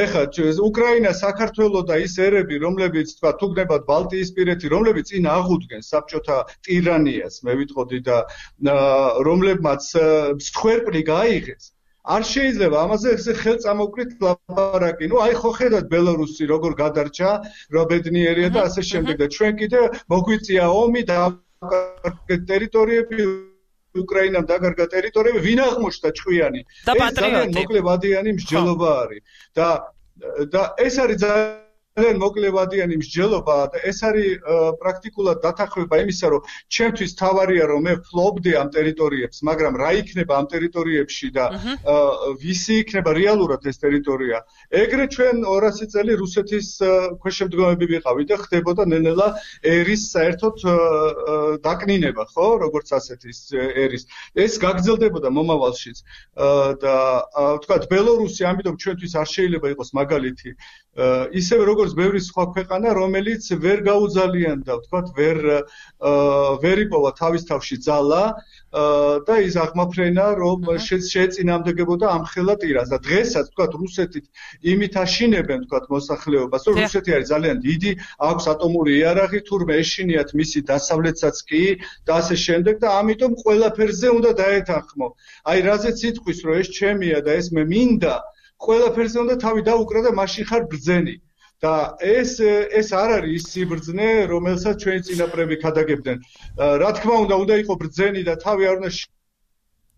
ეხლა უკრაინა, საქართველო და ის ერები, რომლებიც თქვა თუ გნებათ ბალტიისპირეთი, რომლებიც წინ აღუდგენ საბჭოთა ტირანიას, მე ვიტყოდი და რომლებმაც მსხვერპლი გაიღეს. არ შეიძლება ამაზე ესე ხელწამოკლით ლაპარაკი. ნუ აი ხო ხედავთ ბელარუსი როგორ გადარჩა, რა ბედნიერია და ასე შემდეგ და ჩვენ კიდე მოგვიწია ომი და ტერიტორიები უკრაინამ დაგარგა ტერიტორიები, ვინ აღმოჩნდა ჭკვიანი? ეს ძალიან მოკლევადიანი მსჯელობა არის და და ეს არის ძალიან მოკლევადიანი მსჯელობა და ეს არის პრაქტიკულად დათახვება იმისა, რომ ჩემთვის თავარია რომ მე ფლობდი ამ ტერიტორიებს, მაგრამ რა იქნება ამ ტერიტორიებში და ვისი იქნება რეალურად ეს ტერიტორია. ეგრე ჩვენ ორასი წელი რუსეთის ქვეშემდგომები ვიყავით და ხდებოდა ნელ-ნელა ერის საერთოდ დაკნინება, ხო, როგორც ასეთის ერის. ეს გაგრძელდებოდა მომავალშიც და ვთქვათ, ბელარუსი ამიტომ ჩვენთვის არ შეიძლება იყოს მაგალითი. ისევე როგორც ბევრი სხვა ქვეყანა, რომელიც ვერ გაუძალიანდა, ვთქვათ, ვერ ვერ იპოვა თავის თავში ძალა და ის აღმაფრენა, რომ შეეწინააღმდეგებოდა ამხელა ტირანს. და დღესაც, ვთქვათ, რუსეთით იმით აშინებენ, ვთქვათ, მოსახლეობას, რომ რუსეთი არის ძალიან დიდი, აქვს ატომური იარაღი, თურმე ეშინიათ მისი დასავლეთსაც კი და ასე შემდეგ და ამიტომ ყველაფერზე უნდა დაეთანხმო. აი, რაზეც იტყვის, რომ ეს ჩემია და ეს მე მინდა, ყველაფერზე უნდა თავი დაუკრა და მაშინ ხარ ბრძენი. და ეს ეს არ არის ის სიბრძნე, რომელსაც ჩვენი წინაპრები ქადაგებდნენ. რა თქმა უნდა, უნდა იყო ბრძენი და თავი არ უნდა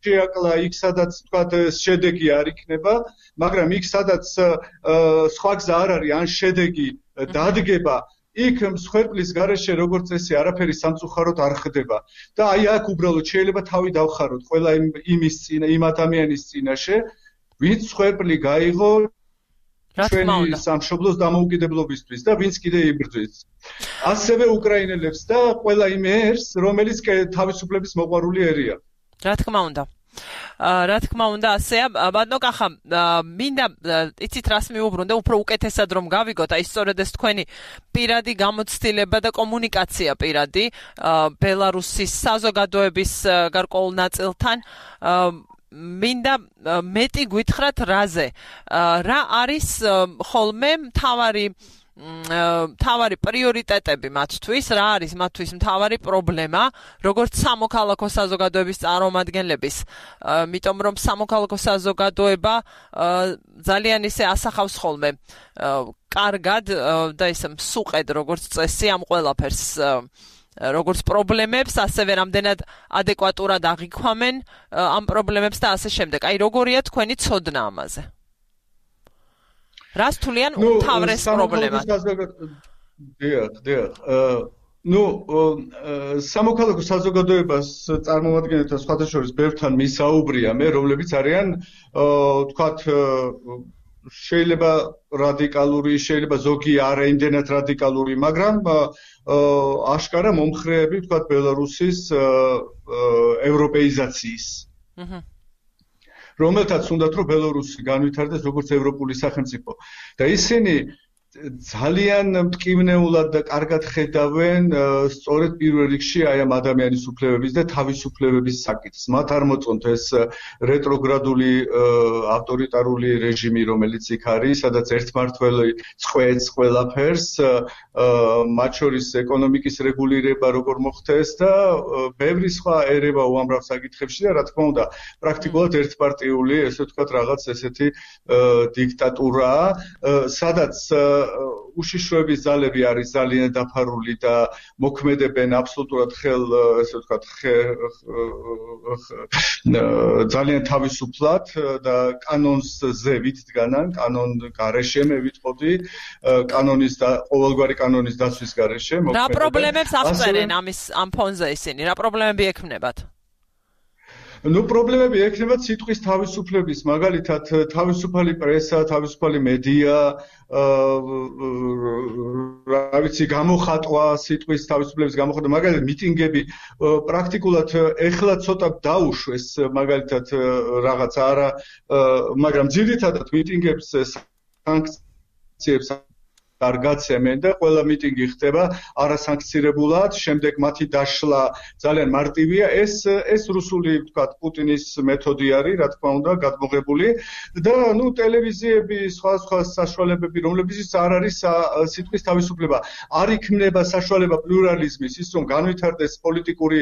შეაკლა იქ, სადაც თქვათ შედეგი არ იქნება, მაგრამ იქ, სადაც სხვა გზა არ არის, ან შედეგი დადგება, იქ მსხვერპლის გარეშე როგორც ესე არაფერი სამწუხაროდ არ ხდება. და აი აქ უბრალოდ შეიძლება თავი დავხაროთ ყველა იმის წინა, იმ ადამიანის წინაშე, ვინც ხვერპლი გაიღო ჩვენი სამშობლოს დამოუკიდებლობისთვის და ვინც კიდე იბრძვის. ასევე უკრაინელებს და ყველა იმ ერს, რომელიც თავისუფლების მოყვარული ერია. რა თქმა უნდა. რა თქმა უნდა, ასეა, ბატონო კახა, მინდა იცით რას მიუბრუნდე, უფრო უკეთესად რომ გავიგოთ, აი სწორედ ეს თქვენი პირადი გამოცდილება და კომუნიკაცია პირადი ბელარუსის საზოგადოების გარკვეულ ნაწილთან მინდა მეტი გითხრათ რაზე. რა არის ხოლმე მთავარი მთავარი პრიორიტეტები მათთვის, რა არის მათთვის მთავარი პრობლემა, როგორც სამოქალაქო საზოგადოების წარმომადგენლების, იმიტომ რომ სამოქალაქო საზოგადოება ძალიან ისე ასახავს ხოლმე კარგად და ისე მსუყედ როგორც წესი ამ ყველაფერს როგორც პრობლემებს, ასევე რამდენად ადეკვატურად აღიქვამენ ამ პრობლემებს და ასე შემდეგ. აი როგორია თქვენი ცოდნა ამაზე? რას თვლიან უმთავრეს პრობლემად? დიახ, დიახ. ნუ სამოქალაქო საზოგადოებას წარმომადგენელთა სხვათა შორის ბევრთან მისაუბრია მე, რომლებიც არიან თქვათ შეიძლება რადიკალური, შეიძლება ზოგი არაიმდენად რადიკალური, მაგრამ აშკარა მომხრეები თქვათ ბელარუსის ევროპეიზაციის. აჰა. რომელთაც უნდათ რომ ბელარუსი განვითარდეს როგორც ევროპული სახელმწიფო და ისინი ძალიან მტკივნეულად და კარგად ხედავენ სწორედ პირველ რიგში აი ამ ადამიანის უფლებების და თავისუფლებების საკითხს. მათ არ მოწონთ ეს რეტროგრადული ავტორიტარული რეჟიმი, რომელიც იქ არის, სადაც ერთმართველი წყვეტს ყველაფერს, მათ შორის ეკონომიკის რეგულირება როგორ მოხდეს და ბევრი სხვა ერევა უამრავ საკითხებში და რა თქმა უნდა, პრაქტიკულად ერთპარტიული, ესე ვთქვათ, რაღაც ესეთი დიქტატურაა, სადაც უშიშროების ძალები არის ძალიან დაფარული და მოქმედებენ აბსოლუტურად ხელ, ესე ვთქვათ, ძალიან თავისუფლად და კანონზე ვიდგანან, კანონ გარეშე მე ვიტყოდი, კანონის და ყოველგვარი კანონის დაცვის გარეშე მოქმედებენ. რა პრობლემებს აღწერენ ამის ამ ფონზე ისინი? რა პრობლემები ექმნებათ? ნუ პრობლემები ექნება სიტყვის თავისუფლების, მაგალითად თავისუფალი პრესა, თავისუფალი მედია, რა ვიცი, გამოხატვა სიტყვის თავისუფლების გამოხატვა, მაგალითად მიტინგები, პრაქტიკულად ეხლა ცოტა დაუშვეს, მაგალითად რაღაც არა, მაგრამ ძირითადად მიტინგებს სანქციებს არ გაცემენ და ყველა მიტინგი ხდება არასანქცირებულად, შემდეგ მათი დაშლა ძალიან მარტივია. ეს ეს რუსული, ვთქვათ, პუტინის მეთოდი არის, რა თქმა უნდა, გადმოღებული და ნუ ტელევიზიები, სხვა სხვა საშუალებები, რომლებიც არ არის სიტყვის თავისუფლება, არ იქმნება საშუალება პლურალიზმის, ის რომ განვითარდეს პოლიტიკური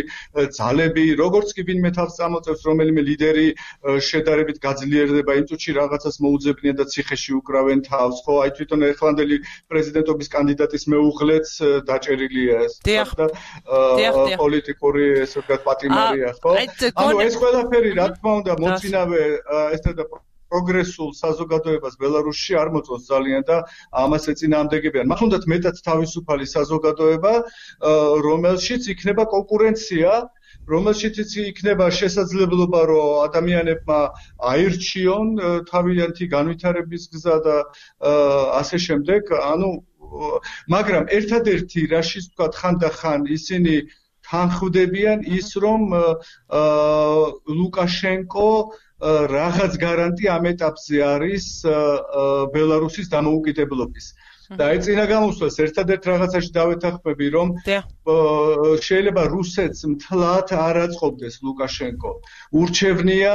ძალები, როგორც კი ვინმე თავს წამოწევს, რომელიმე ლიდერი შედარებით გაძლიერდება, იმ წუთში რაღაცას მოუძებნიან და ციხეში უკრავენ თავს, ხო, აი თვითონ ეხლანდელი პრეზიდენტობის კანდიდატის მეუღლეც დაჭერილია ეს და პოლიტიკური ესე ვთქვათ პატიმარია, ხო? ანუ ეს ყველაფერი რა თქმა უნდა მოწინავე ესეთ და პროგრესულ საზოგადოებას ბელარუსში არ მოწონს ძალიან და ამას ეწინააღმდეგებიან. მათ უნდათ მეტად თავისუფალი საზოგადოება, რომელშიც იქნება კონკურენცია, რომელშიც იქნება შესაძლებლობა, რომ ადამიანებმა აირჩიონ თავიანთი განვითარების გზა და ასე შემდეგ. ანუ მაგრამ ერთადერთი რაშიც ვთქვათ ხანდახან ისინი თანხმდებიან ის, რომ ლუკაშენკო რაღაც გარანტი ამ ეტაპზე არის ბელარუსის დამოუკიდებლობის. და აი წინა გამოსვლას ერთადერთ რაღაცაში დავეთანხმები, რომ შეიძლება რუსეთს მთლად არ აწყობდეს ლუკაშენკო. ურჩევნია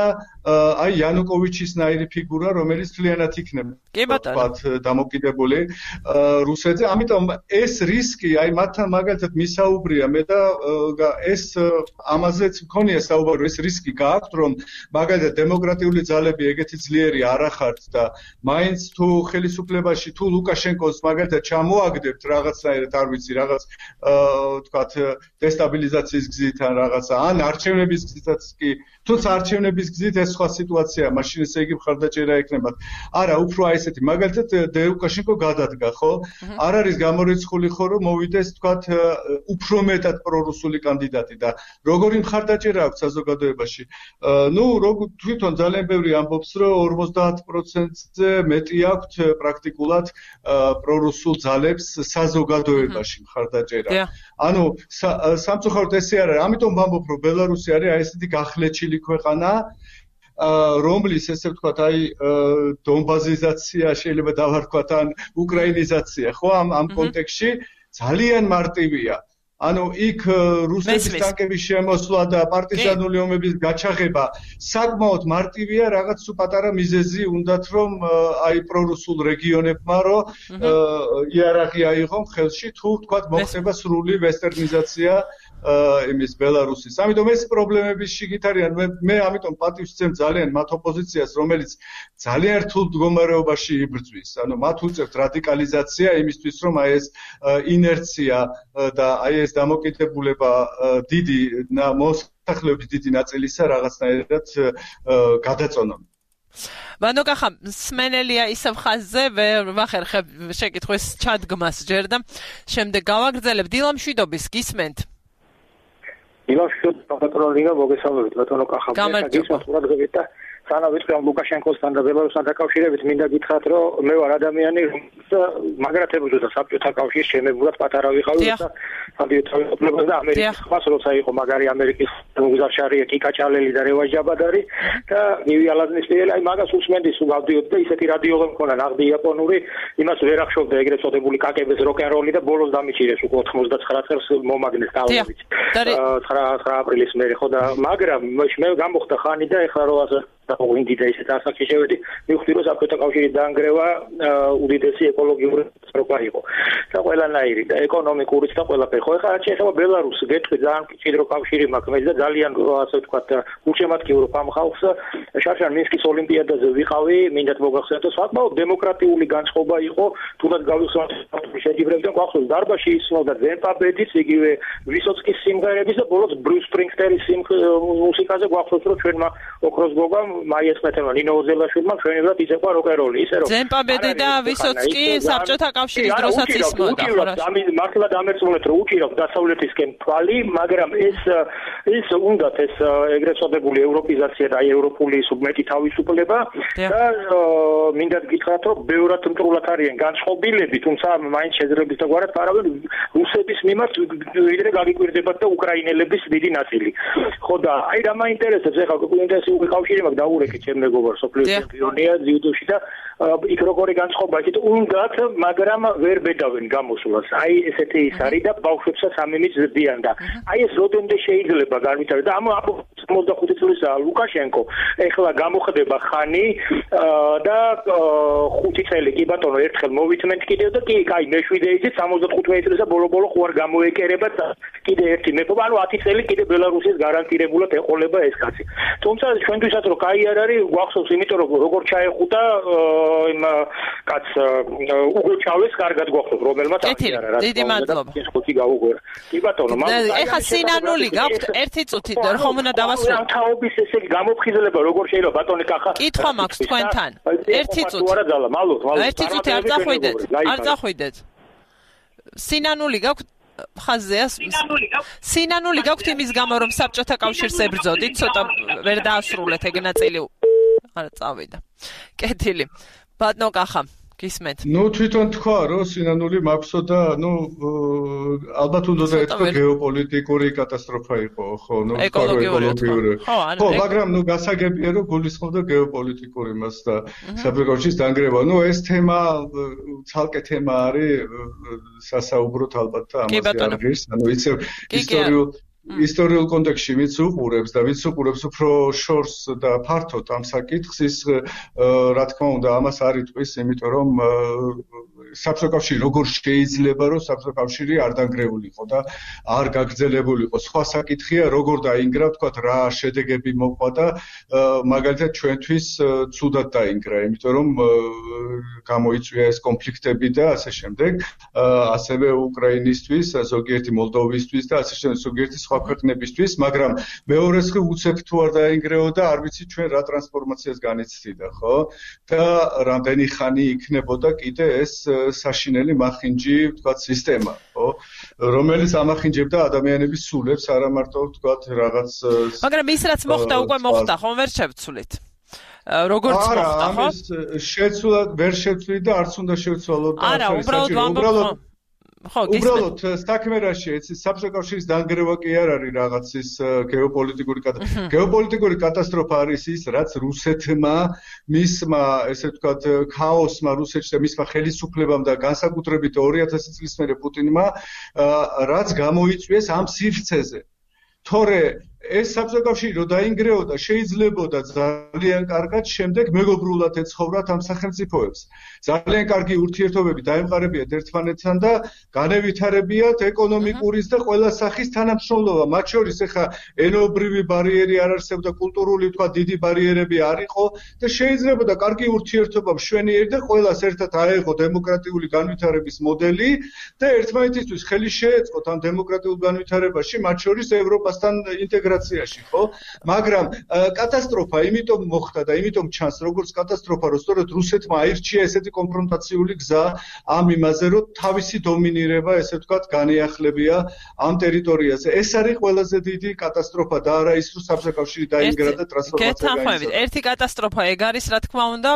აი იანუკოვიჩის ნაირი ფიგურა, რომელიც მთლიანად იქნება ვთქვათ დამოკიდებული რუსეთზე. ამიტომ ეს რისკი, აი მათთან მაგალითად მისაუბრია მე და ეს ამაზეც მქონია საუბარი, ეს რისკი გააქვთ, რომ მაგალითად დემოკრატიული ძალები ეგეთი ძლიერი არ ახართ და მაინც თუ ხელისუფლებაში თუ ლუკაშენკოს მაგალითად ჩამოაგდებთ რაღაცნაირად, არ ვიცი, რაღაც ვთქვათ დესტაბილიზაციის გზით ან რაღაცა, ან არჩევნების გზითაც კი თუმცა არჩევნების გზით ეს სხვა სიტუაციაა, მაშინ ესე იგი მხარდაჭერა ექნებათ. არა, უფრო აი ესეთი, მაგალითად ლუკაშენკო გადადგა, ხო? არ არის გამორიცხული ხო, რომ მოვიდეს, თქვათ, უფრო მეტად პრორუსული კანდიდატი და როგორი მხარდაჭერა აქვს საზოგადოებაში. ნუ თვითონ ძალიან ბევრი ამბობს, რომ ორმოცდაათ პროცენტზე მეტი აქვს პრაქტიკულად პრორუსულ ძალებს საზოგადოებაში მხარდაჭერა. ანუ სამწუხაროდ ესე არ არის. ამიტომ ვამბობ, რომ ბელარუსი არის აი ესეთი გახლეჩილი ქვეყანა, რომლის ესე ვთქვათ, აი დონბაზიზაცია შეიძლება დავარქვათ ან უკრაინიზაცია, ხო, ამ ამ კონტექსტში ძალიან მარტივია. ანუ იქ რუსეთის ტანკების შემოსვლა და პარტიზანული ომების გაჩაღება საკმაოდ მარტივია, რაღაც პატარა მიზეზი უნდათ, რომ აი პრორუსულ რეგიონებმა რო იარაღი აიღონ ხელში, თუ ვთქვათ მოხდება სრული ვესტერნიზაცია იმის ბელარუსის. ამიტომ ეს პრობლემების შიგით არიან. მე მე ამიტომ პატივს ვცემ ძალიან მათ ოპოზიციას, რომელიც ძალიან რთულ მდგომარეობაში იბრძვის. ანუ მათ უწევთ რადიკალიზაცია იმისთვის, რომ აი ეს ინერცია და აი ეს დამოკიდებულება დიდი მოსახლეობის დიდი ნაწილისა რაღაცნაირად გადაწონონ. ვანოკახა სმენელია ისევ ხაზზე ვერ ვახერხებ შეკითხვის ჩადგმას ჯერ და შემდეგ გავაგრძელებ. დილა მშვიდობის გისმენთ? დილა მშვიდობის პატრონინგა მოგესალმებით ბატონო კახა. გისმენთ ყურადღებით და სანამ ვიტყვი ამ ლუკაშენკოსთან და ბელარუსთან დაკავშირებით, მინდა გითხრათ, რომ მე ვარ ადამიანი, რომელიც მაგრათებოდა საბჭოთა კავშირის შემებურად პატარა ვიყავი და სანდიოთავი და ამერიკის ხმას როცა იყო მაგარი ამერიკის გუზარშარია კიკაჭალელი და რევაჟ ჯაბადარი და ნივი ალაზნისელი, აი მაგას უსმენდი სულ გავდიოდი და ისეთი რადიოღა მქონა ნაღდი იაპონური, იმას ვერ ახშობდა ეგრეთ წოდებული კაკების როკ-ენ-როლი და ბოლოს დამიჭირეს უკვე ოთხმოცდაცხრა წელს მომაგნეს ტალობით. ცხრა აპრილის მერე ხო და მაგრამ მე გამოხდა ხანი და ეხლა რო ასე და ვინდი და ისეთ ასაკში შევედი, მივხვდი რომ საბჭოთა კავშირის დაანგრევა უდიდესი ეკოლოგიური კატასტროფა იყო. და ყველანაირი და ეკონომიკურიც და ყველაფერი. ხო ეხლა რაც შეეხება ბელარუსს, გეტყვი ძალიან მჭიდრო კავშირი მაქვს მე და ძალიან ასე ვთქვათ გულშემატკივრო ამ ხალხს შარშან მინსკის ოლიმპიადაზე ვიყავი, მინდათ მოგახსენოთ, საკმაოდ დემოკრატიული განწყობა იყო, თუნდაც გავიხსენოთ შეჯიბრებდა გვახსოვს დარბაზში ისმოდა ზემპაბედის, იგივე ვისოცკის სიმღერების და ბოლოს ბრიუს სპრინგსტერის მუსიკაზე გვახსოვს რომ ჩვენმა ოქროს გოგამ მაიას მეტევა ნინო ოზელაშვილმა ჩვენებად იწევა როკ-ენ-როლი, ისე რომ ზემპაბედი და ვისოცკი საბჭოთა კავშირის დროსაც ისმოდა. მართლა დამერწმუნეთ რომ უჭირავ დასავლეთისკენ თვალი, მაგრამ ეს ის უნდათ ეს ეგრეთ წოდებული ევროპიზაცია და ევროპული სუბმეტი თავისუფლება და მინდა გითხრათ რომ ბევრად მტრულად არიან განწყობილები, თუმცა მაინც შეძლებლის და გვარად ფარავენ რუსების მიმართ ვიდრე გაგიკვირდებათ და უკრაინელების დიდი ნაწილი. ხო და აი რა მაინტერესებს ეხლა ინტენსიური კავშირი მაქვს დაურეკეთ ჩემ მეგობარს სოფლიო ჩემპიონია ძიუდოში და იქ როგორი განწყობა იქით უნდათ, მაგრამ ვერ ბედავენ გამოსვლას. აი ესეთი ის არის და ბავშვებსაც ამემიც ზრდიან და აი ეს როდემდე შეიძლება განვითარდეს და ამ ოცდახუთი წლისაა ლუკაშენკო ეხლა გამოხდება ხანი და ხუთი წელი კი ბატონო ერთხელ მოვითმენთ კიდევ და კი აი მეშვიდე იცით სამოცდათხუთმეტი წელსა ბოლო-ბოლო ხო არ გამოეკერება კიდე ერთი მეფობა, ანუ ათი წელი კიდე ბელარუსის გარანტირებულად ეყოლება ეს კაცი. თუმცა ჩვენთვისაც რომ კაი არ არის, გვახსოვს, იმიტომ რომ როგორ ჩაეხუტა იმ კაც უგუჩავეს კარგად გვახსოვს, რომელმაც აკი არა რა. დიდი მადლობა. ეს ხუთი გაუგვერა. კი ბატონო, მაგრამ ეხა სინანული გაქვთ ერთი წუთი ხომ უნდა დავასრულო. თაობის ესე გამოფხიზლება როგორ შეიძლება ბატონი კახა. კითხვა მაქვს თქვენთან. ერთი წუთი. არა ძალა, მალოთ, მალოთ. ერთი წუთი არ წახვიდეთ. არ წახვიდეთ. სინანული გაქვთ ხაზზეა სინანული გაქვთ იმის გამო რომ საბჭოთა კავშირს ებრძოდით, ცოტა ვერ დაასრულეთ ეგ ნაწილი. არა წავიდა. კეთილი. ბატონო კახა, გისმენთ? ნუ თვითონ თქვა რომ სინანული მაქვსო და ნუ ალბათ უნდა დაეთქვა გეოპოლიტიკური კატასტროფა იყო, ხო, ნუ ეკოლოგიური. ხო, მაგრამ ნუ გასაგებია რომ გულისხმობდა გეოპოლიტიკური მას და საბჭოთა კავშირის დანგრევა. ნუ ეს თემა ცალკე თემა არის სასაუბროთ ალბათ და ამაზე არის, ანუ იცი ისტორიულ ისტორიულ კონტექსტში ვინც უყურებს და ვინც უყურებს უფრო შორს და ფართოდ ამ საკითხს, ის რა თქმა უნდა ამას არ იტყვის, იმიტომ რომ საბჭოთა როგორ შეიძლება რომ საბჭოთა არ დანგრეულიყო და არ გაგრძელებულიყო. სხვა საკითხია როგორ დაინგრა, თქვათ რა შედეგები მოყვა და მაგალითად ჩვენთვის ცუდად დაინგრა, იმიტომ რომ გამოიწვია ეს კონფლიქტები და ასე შემდეგ, ასევე უკრაინისთვის, ზოგიერთი მოლდოვისთვის და ასე შემდეგ, ზოგიერთი სხვა ქვეყნებისთვის, მაგრამ მეორეს ხი უცებ თუ არ დაინგრეოდა, არ ვიცი ჩვენ რა ტრანსფორმაციას განიცდიდა, ხო? და რამდენი ხანი იქნებოდა კიდე ეს საშინელი მახინჯი, ვთქვათ, სისტემა, ხო? რომელიც ამახინჯებდა ადამიანების სულებს, არა მარტო ვთქვათ რაღაც მაგრამ ის რაც მოხდა უკვე მოხდა, ხომ ვერ შევცვლით. როგორც მოხდა, ხო? არა, ამის შეცვლად ვერ შევცვლით და არც უნდა შევცვალოთ. არა, უბრალოდ ვამბობ ხო, უბრალოდ საქმე რაშია, ეს საბჭოთა დანგრევა კი არ არის რაღაცის გეოპოლიტიკური კატასტროფა. გეოპოლიტიკური კატასტროფა არის ის, რაც რუსეთმა, მისმა, ესე ვთქვათ, ქაოსმა რუსეთში და მისმა ხელისუფლებამ და განსაკუთრებით ორი ათასი წლის მერე პუტინმა, რაც გამოიწვიეს ამ სივრცეზე. თორე ეს საბჭოთა რო დაინგრეოდა, შეიძლებოდა ძალიან კარგად შემდეგ მეგობრულად ეცხოვრათ ამ სახელმწიფოებს. ძალიან კარგი ურთიერთობები დაემყარებიათ ერთმანეთთან და განევითარებიათ ეკონომიკურის და ყველა სახის თანამშრომლობა. მათ შორის ახლა ენობრივი ბარიერი არ არსებობდა, კულტურული თქვა დიდი ბარიერები არ იყო და შეიძლებოდა კარგი ურთიერთობა მშვენიერი და ყველას ერთად აეღო დემოკრატიული განვითარების მოდელი და ერთმანეთისთვის ხელი შეეწყოთ ამ დემოკრატიულ განვითარებაში, მათ შორის ევროპასთან ინტეგრაციაში. ხო? მაგრამ კატასტროფა იმიტომ მოხდა და იმიტომ ჩანს როგორც კატასტროფა, რომ სწორედ რუსეთმა აირჩია ესეთი კონფრონტაციული გზა ამ იმაზე, რომ თავისი დომინირება, ესე ვთქვათ, განეახლებია ამ ტერიტორიაზე. ეს არის ყველაზე დიდი კატასტროფა და არა ის, რომ საბჭოთა დაინგრა და ტრანსფორმაცია გაიწვია. ერთი კატასტროფა ეგ არის, რა თქმა უნდა,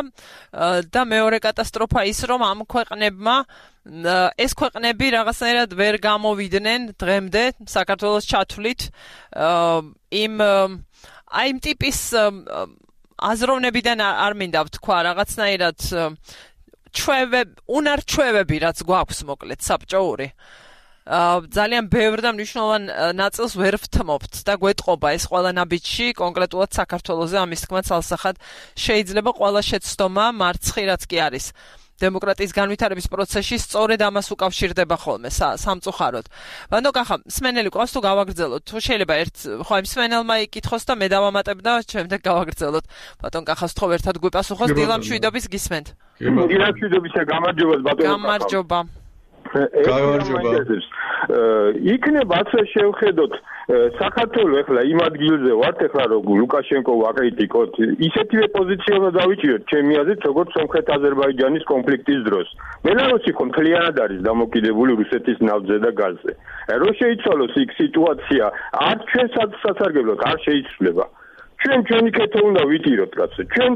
და მეორე კატასტროფა ის, რომ ამ ქვეყნებმა ეს ქვეყნები რაღაცნაირად ვერ გამოვიდნენ დღემდე საქართველოს ჩათვლით იმ აი იმ ტიპის აზროვნებიდან არ მინდა ვთქვა რაღაცნაირად ჩვევები, უნარჩვევები რაც გვაქვს მოკლედ საბჭოური ძალიან ბევრ და მნიშვნელოვან ნაწილს ვერ ვთმობთ და გვეტყობა ეს ყველა ნაბიჯში კონკრეტულად საქართველოზე ამის თქმა ცალსახად შეიძლება ყველა შეცდომა მარცხი რაც კი არის დემოკრატიის განვითარების პროცესში სწორედ ამას უკავშირდება ხოლმე სამწუხაროდ. ბანო კახა, მსმენელი ყავს თუ გავაგრძელოთ? თუ შეიძლება ერთ ხო იმ მსმენელმა იკითხოს და მე დავამატებ და შემდეგ გავაგრძელოთ. ბატონ კახას თქო ერთად გვიპასუხოს დილამ შვიდობის გისმენთ. დილამ შვიდობისა გამარჯობა ბატონო კახა. გამარჯობა. გამარჯობა. იქნება ასე შევხედოთ საქართველოს ახლა იმ ადგილზე ვართ ახლა რომ ლუკაშენკო ვაკრიტიკოთ ისეთივე პოზიცია უნდა დავიჭიროთ ჩემი აზრით როგორც სომხეთ-აზერბაიჯანის კონფლიქტის დროს. ბელარუსი ხო მთლიანად არის დამოკიდებული რუსეთის ნავთზე და გაზზე. რო შეიცვალოს იქ სიტუაცია არ ჩვენ სასარგებლოდ არ შეიცვლება. ჩვენ ჩვენი კეთო უნდა ვიტიროთ კაცო. ჩვენ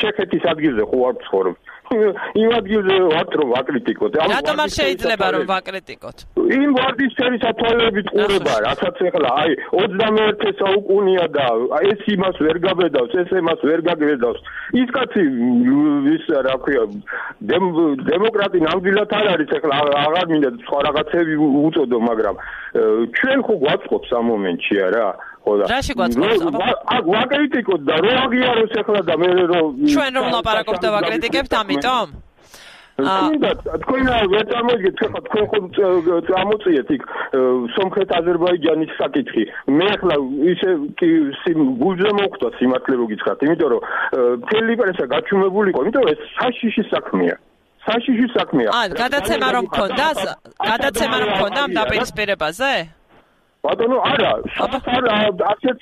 ჩეხეთის ადგილზე ხო არ ვცხოვრობ. იმ ადგილზე ვართ რომ ვაკრიტიკოთ. რატომ არ შეიძლება რომ ვაკრიტიკოთ? იმ ვარდისფერი სათვალეებით ყურება, რასაც ახლა აი ოცდამეერთე საუკუნეა და ეს იმას ვერ გაბედავს, ეს იმას ვერ გაგბედავს. ის კაცი ის რა ქვია დემოკრატი ნამდვილად არ არის ახლა აღარ მინდა სხვა რაღაცები უწოდო, მაგრამ ჩვენ ხო გვაწყობს ამ მომენტში არა? რაში გვაწყობს? აქ ვაკრიტიკოთ და რო აღიაროს ახლა და მე რომ ჩვენ რომ ლაპარაკობთ და ვაკრიტიკებთ ამიტომ? თუნდა თქვენ ვერ წარმოიდგენთ ხა თქვენ ხო წამოწიეთ იქ სომხეთ-აზერბაიჯანის საკითხი. მე ახლა ისე გულზე მოხვდა სიმართლე რო გითხრათ, იმიტომ რომ მთელი პრესა გაჩუმებულიყო, იმიტომ რომ ეს საშიში საქმეა. საშიში საქმეა. აა, გადაცემა რომ მქონდა, გადაცემა რომ მქონდა ამ დაპირისპირებაზე? ბატონო, არა, არა, ასეთ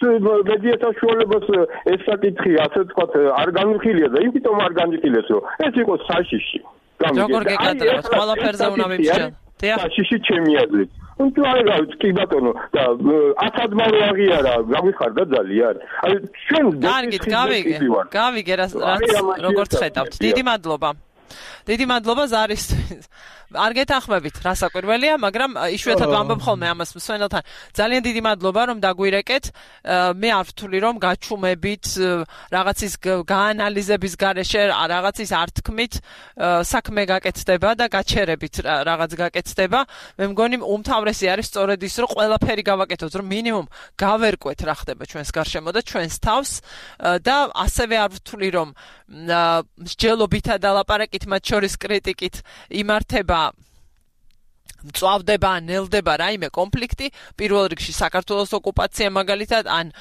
მედია საშუალებას ეს საკითხი, ასე ვთქვათ, არ განვიხილია და იმიტომ არ განვიხილეს, რომ ეს იყო საშიში. როგორ გეკადროს, ყველაფერზე უნდა მივშენ. საშიში ჩემი აზრით. თუ არა გავიც კი ბატონო და ათადმა რო აღიარა, გავიხარდა ძალიან. აი ჩვენ კარგით, გავიგე. გავიგე რაც როგორც ხედავთ. დიდი მადლობა. დიდი მადლობა ზარისთვის. არ გეთანხმებით რა საკვირველია, მაგრამ იშვიათად ვამბობ ხოლმე ამას მსმენელთან. ძალიან დიდი მადლობა რომ დაგვირეკეთ. მე არ ვთვლი რომ გაჩუმებით რაღაცის გაანალიზების გარეშე, რაღაცის ართქმით საქმე გაკეთდება და გაჩერებით რაღაც გაკეთდება. მე მგონი უმთავრესი არის სწორედ ის რომ ყველაფერი გავაკეთოთ, რომ მინიმუმ გავერკვეთ რა ხდება ჩვენს გარშემო და ჩვენს თავს და ასევე არ ვთვლი რომ მსჯელობითა და ლაპარაკით კრიტიკით, მათ შორის კრიტიკით იმართება მწვავდება, ნელდება რაიმე კონფლიქტი, პირველ რიგში საქართველოს ოკუპაცია მაგალითად, ან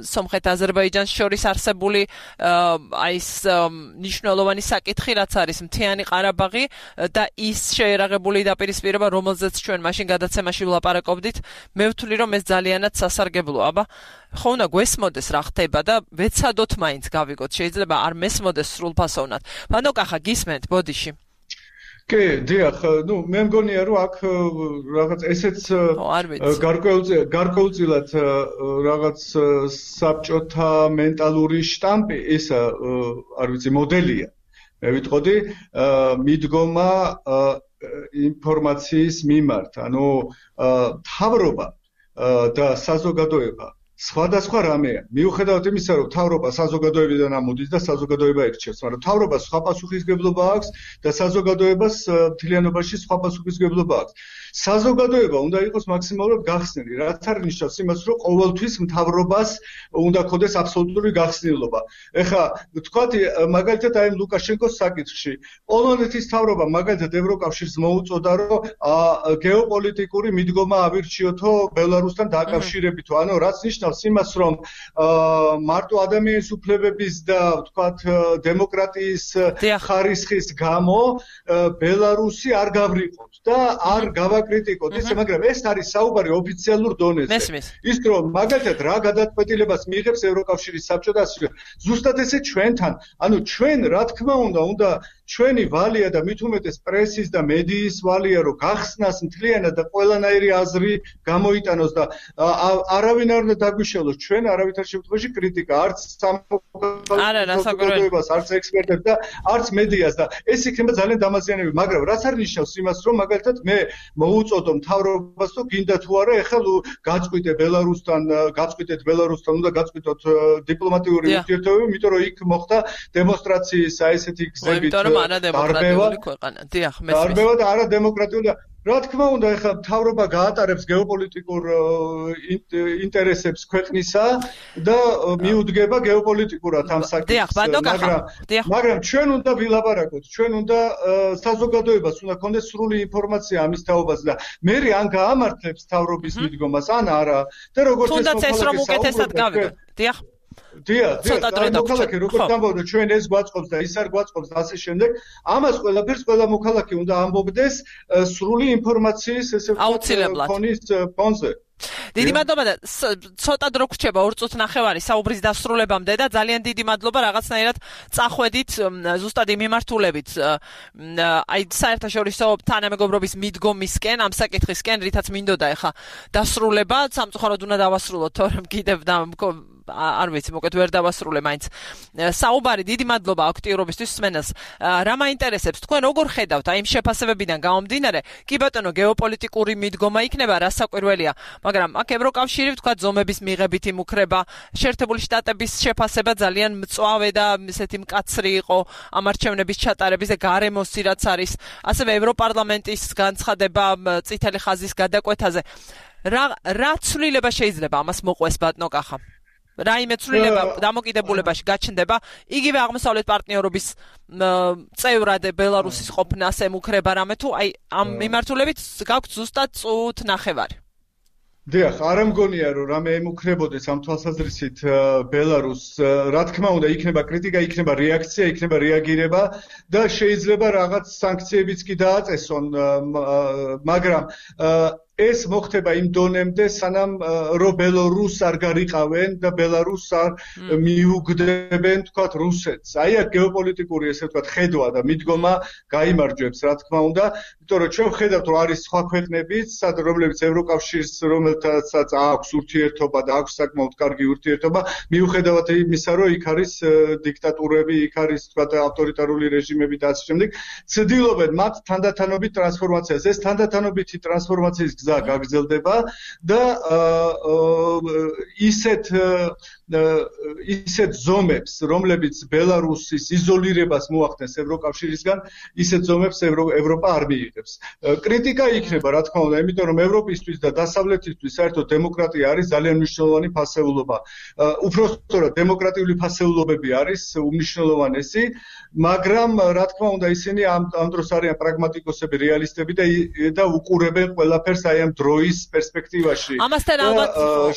სომხეთ-აზერბაიჯანს შორის არსებული აი ეს მნიშვნელოვანი საკითხი, რაც არის მთიანი ყარაბაღი და ის შეერაღებული დაპირისპირება, რომელზეც ჩვენ მაშინ გადაცემაში ვლაპარაკობდით, მე ვთვლი, რომ ეს ძალიანად სასარგებლოა, აბა ხო უნდა გვესმოდეს რა ხდება და ვეცადოთ მაინც გავიგოთ, შეიძლება არ მესმოდეს სრულფასოვნად. ბანო კახა გისმენთ ბოდიში. კი, დიახ, ნუ მე მგონია რომ აქ რაღაც ესეც გარკვეულწილად რაღაც საბჭოთა მენტალური შტამპი, ეს არ ვიცი, მოდელია. მე ვიტყოდი, მიდგომა ინფორმაციის მიმართ, ანუ მთავრობა და საზოგადოება სხვადასხვა რამეა. მიუხედავად იმისა, რომ მთავრობა საზოგადოებიდან ამოდის და საზოგადოება ირჩევს, მაგრამ მთავრობას სხვა პასუხისგებლობა აქვს და საზოგადოებას მთლიანობაში სხვა პასუხისგებლობა აქვს. საზოგადოება უნდა იყოს მაქსიმალურად გახსნილი, რაც არ ნიშნავს იმას, რომ ყოველთვის მთავრობას უნდა ქონდეს აბსოლუტური გახსნილობა. ეხლა ვთქვათ, მაგალითად აი ლუკაშენკოს საკითხში, პოლონეთის მთავრობა მაგალითად ევროკავშირს მოუწოდა, რომ გეოპოლიტიკური მიდგომა ავირჩიოთო ბელარუსთან დაკავშირებითო, ანუ რაც ნიშნავს იმას, რომ მარტო ადამიანის უფლებების და ვთქვათ დემოკრატიის ხარისხის გამო ბელარუსი არ გავრიყოთ და არ გავაკრიტიკოთ ისე, მაგრამ ეს არის საუბარი ოფიციალურ დონეზე. ის რომ მაგალითად რა გადაწყვეტილებას მიიღებს ევროკავშირის საბჭო და ასე ზუსტად ესე ჩვენთან, ანუ ჩვენ რა თქმა უნდა, უნდა ჩვენი ვალია და მით უმეტეს პრესის და მედიის ვალია, რომ გახსნას მთლიანად და ყველანაირი აზრი გამოიტანოს და არავინ არ უნდა დაგვიშალოს ჩვენ არავითარ შემთხვევაში კრიტიკა, არც საზოგადოებას, არც ექსპერტებს და არც მედიას და ეს იქნება ძალიან დამაზიანებელი, მაგრამ რაც არ ნიშნავს იმას, რომ მაგალითად მე მოუწოდო მთავრობას, რომ გინდა თუ არა, ეხლა გაწყვიტე ბელარუსთან, გაწყვიტეთ ბელარუსთან, უნდა გაწყვიტოთ დიპლომატიური ურთიერთობები, იმიტომ რომ იქ მოხდა დემონსტრაციის აი ესეთი გზებით არადემოკრატიული ქვეყანა. დიახ, მესმის. არბევა და არადემოკრატიული და რა თქმა უნდა, ეხლა მთავრობა გაატარებს გეოპოლიტიკურ ინტერესებს ქვეყნისა და მიუდგება გეოპოლიტიკურად ამ საკითხს, მაგრამ მაგრამ ჩვენ უნდა ვილაპარაკოთ, ჩვენ უნდა საზოგადოებას უნდა ქონდეს სრული ინფორმაცია ამის თაობაზე და მე ან გაამართლებს მთავრობის მიდგომას, ან არა. და როგორც თუნდაც ეს რომ უკეთესად გავიგოთ. დიახ. დიახ, მოქალაქე როგორც ამბობდა, ჩვენ ეს გვაწყობს და ის არ გვაწყობს და ასე შემდეგ, ამას ყველაფერს ყველა მოქალაქე უნდა ამბობდეს სრული ინფორმაციის ესე ვთქვათ ფონის ფონზე. დიდი მადლობა და ცოტა დრო გრჩება ორ წუთს ნახევარი საუბრის დასრულებამდე და ძალიან დიდი მადლობა რაღაცნაირად წახვედით ზუსტად იმ მიმართულებით აი საერთაშორისო თანამეგობრობის მიდგომისკენ ამ საკითხისკენ, რითაც მინდოდა ეხა დასრულება, სამწუხაროდ უნდა დავასრულოთ, თორემ კიდევ და არ ვიცი, მოკეთ ვერ დავასრულე მაინც. საუბარი, დიდი მადლობა აქტიურობისთვის სმენელს. რა მაინტერესებს თქვენ როგორ ხედავთ აი იმ შეფასებებიდან გამომდინარე? კი ბატონო, გეოპოლიტიკური მიდგომა იქნება, რა საკვირველია, მაგრამ აქ ევროკავშირი ვთქვათ ზომების მიღებით იმუქრება, შეერთებული შტატების შეფასება ძალიან მწვავე და ესეთი მკაცრი იყო ამ არჩევნების ჩატარების და გარემოსი რაც არის, ასევე ევროპარლამენტის განცხადება წითელი ხაზის გადაკვეთაზე. რა რა ცვლილება შეიძლება ამას მოყვეს ბატონო კახა? რაიმე ცვლილება დამოკიდებულებაში გაჩნდება, იგივე აღმოსავლეთ პარტნიორობის წევრად ბელარუსის ყოფნას ემუქრება რამე თუ აი ამ მიმართულებით გაქვთ ზუსტად წუთ ნახევარი. დიახ, არ მგონია რომ რამე ემუქრებოდეს ამ თვალსაზრისით ბელარუსს, რა თქმა უნდა, იქნება კრიტიკა, იქნება რეაქცია, იქნება რეაგირება და შეიძლება რაღაც სანქციებიც კი დააწესონ, მაგრამ ეს მოხდება იმ დონემდე, სანამ რომ ბელარუსს არ გარიყავენ და ბელარუსს არ მიუგდებენ, თქვათ, რუსეთს. აი აქ გეოპოლიტიკური, ესე ვთქვათ, ხედვა და მიდგომა გაიმარჯვებს, რა თქმა უნდა, იმიტომ რომ ჩვენ ვხედავთ, რომ არის სხვა ქვეყნებიც, რომლებიც ევროკავშირს, რომელთაც აქვს ურთიერთობა და აქვს საკმაოდ კარგი ურთიერთობა, მიუხედავად იმისა, რომ იქ არის დიქტატურები, იქ არის, თქვათ, ავტორიტარული რეჟიმები და ასე შემდეგ, ცდილობენ მათ თანდათანობით ტრანსფორმაციას. ეს თანდათანობითი ტრანსფორმაციის გზა გაგრძელდება და ისეთ ისეთ ზომებს, რომლებიც ბელარუსის იზოლირებას მოახდენს ევროკავშირისგან, ისეთ ზომებს ევროპა არ მიიღებს. კრიტიკა იქნება, რა თქმა უნდა, იმიტომ რომ ევროპისთვის და დასავლეთისთვის საერთოდ დემოკრატია არის ძალიან მნიშვნელოვანი ფასეულობა. უпростоრად დემოკრატიული ფასეულობები არის უმნიშვნელოვანესი, მაგრამ რა თქმა უნდა ისინი ამ ამ დროს არიან პრაგმატიკოსები, რეალისტები და და უყურებენ ყველაფერს აი ამ დროის პერსპექტივაში. ამასთან ალბათ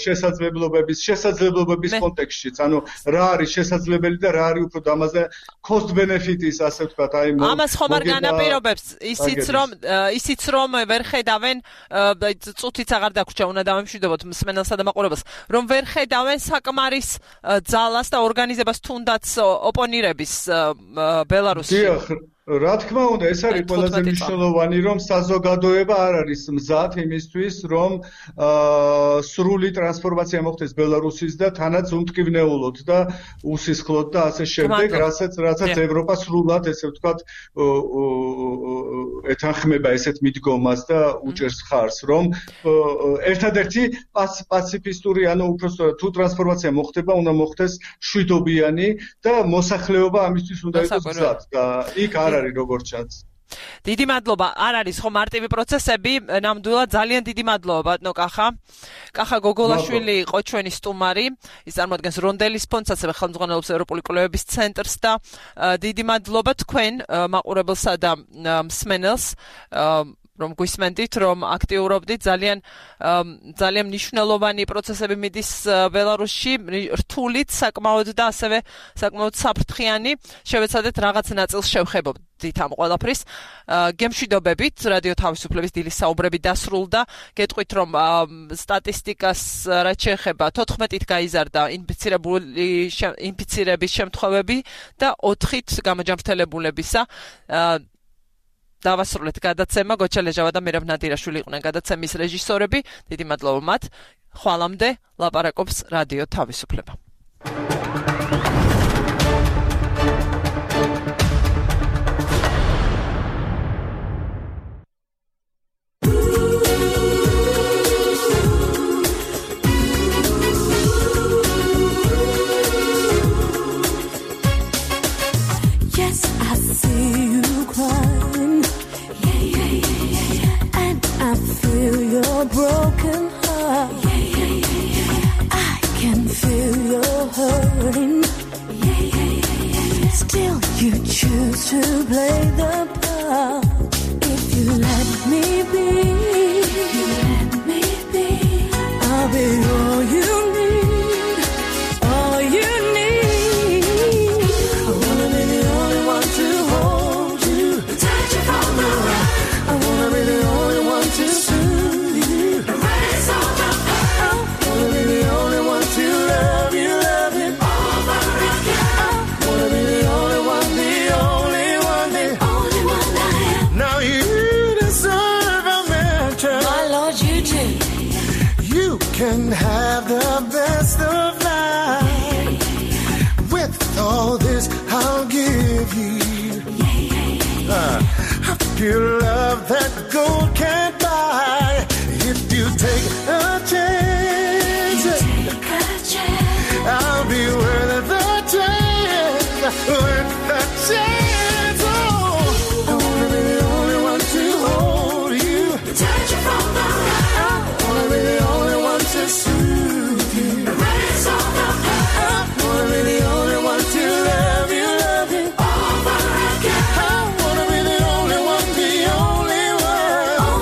შესაძლებლობების, შესაძლებლობების კონტექსტშიც, ანუ რა არის შესაძლებელი და რა არის უფრო დამაზე cost benefit-ის, ასე ვთქვათ, აი ამას ხომ არ განაპირობებს ისიც რომ ისიც რომ ვერ ხედავენ წუთიც აღარ დაგვრჩა უნდა დავემშვიდობოთ მსმენელსა და მაყურებელს რომ ვერ ხედავენ საკმარის ძალას და ორგანიზებას თუნდაც ოპონირების ბელარუსში. დიახ, რა თქმა უნდა, ეს არის ყველაზე მნიშვნელოვანი, რომ საზოგადოება არ არის მზად იმისთვის, რომ სრული ტრანსფორმაცია მოხდეს ბელარუსის და თანაც უმტკივნეულოდ და უსისხლოდ და ასე შემდეგ, რასაც რასაც ევროპა სრულად, ესე ვთქვათ, ეთანხმება ესეთ მიდგომას და უჭერს ხარს, რომ ერთადერთი პაციფისტური, ანუ უბრალოდ თუ ტრანსფორმაცია მოხდება, უნდა მოხდეს შვიდობიანი და მოსახლეობა ამისთვის უნდა იყოს მზად და იქ არ არის როგორც ჩანს. დიდი მადლობა. არ არის ხო მარტივი პროცესები, ნამდვილად ძალიან დიდი მადლობა ბატონო კახა. კახა გოგოლაშვილი იყო ჩვენი სტუმარი. ის წარმოადგენს რონდელის ფონდს, ასევე ხელმძღვანელობს ევროპული კვლევების ცენტრს და დიდი მადლობა თქვენ მაყურებელსა და მსმენელს რომ გვისმენდით, რომ აქტიურობდით ძალიან ძალიან მნიშვნელოვანი პროცესები მიდის ბელარუსში, რთულით საკმაოდ და ასევე საკმაოდ საფრთხიანი. შევეცადეთ რაღაც ნაწილს შევხებოდით ამ ყველაფრის. გემშვიდობებით, რადიო თავისუფლების დილის საუბრები დასრულდა. გეტყვით, რომ სტატისტიკას რაც შეეხება თოთხმეტით გაიზარდა ინფიცირებული ინფიცირების შემთხვევები და ოთხით გამოჯანმრთელებულებისა. დავასრულეთ გადაცემა. გოჩა ლეჟავა და მერაბ ნადირაშვილი იყვნენ გადაცემის რეჟისორები. დიდი მადლობა მათ. ხვალამდე ლაპარაკობს რადიო თავისუფლება. Yes, I see you crying. I feel your broken heart. Yeah, yeah, yeah, yeah. I can feel your hurting. Yeah, yeah, yeah, yeah. Still, you choose to play the part. If you let me be, you let me be. I'll be all you need, all you need. I wanna be the only one to hold you, touch you from the right. I wanna be the only one to soothe you, erase all the pain. I wanna be the only one to love you, love you over again. I wanna be the only one, the only one, the only one I am. Now you deserve a mention. My Lord, you do. You can have the best of life. With all this, I'll give you. Uh, pure love that gold can't buy. If you take a chance, You take a chance. I'll be worth the chance, worth the chance. Oh, I wanna be the only one to hold you, Touch you from the right. I wanna be the only one to soothe you, Erase all the pain. I wanna be the only one to love you, love you Over again. I wanna be the only one, the only one.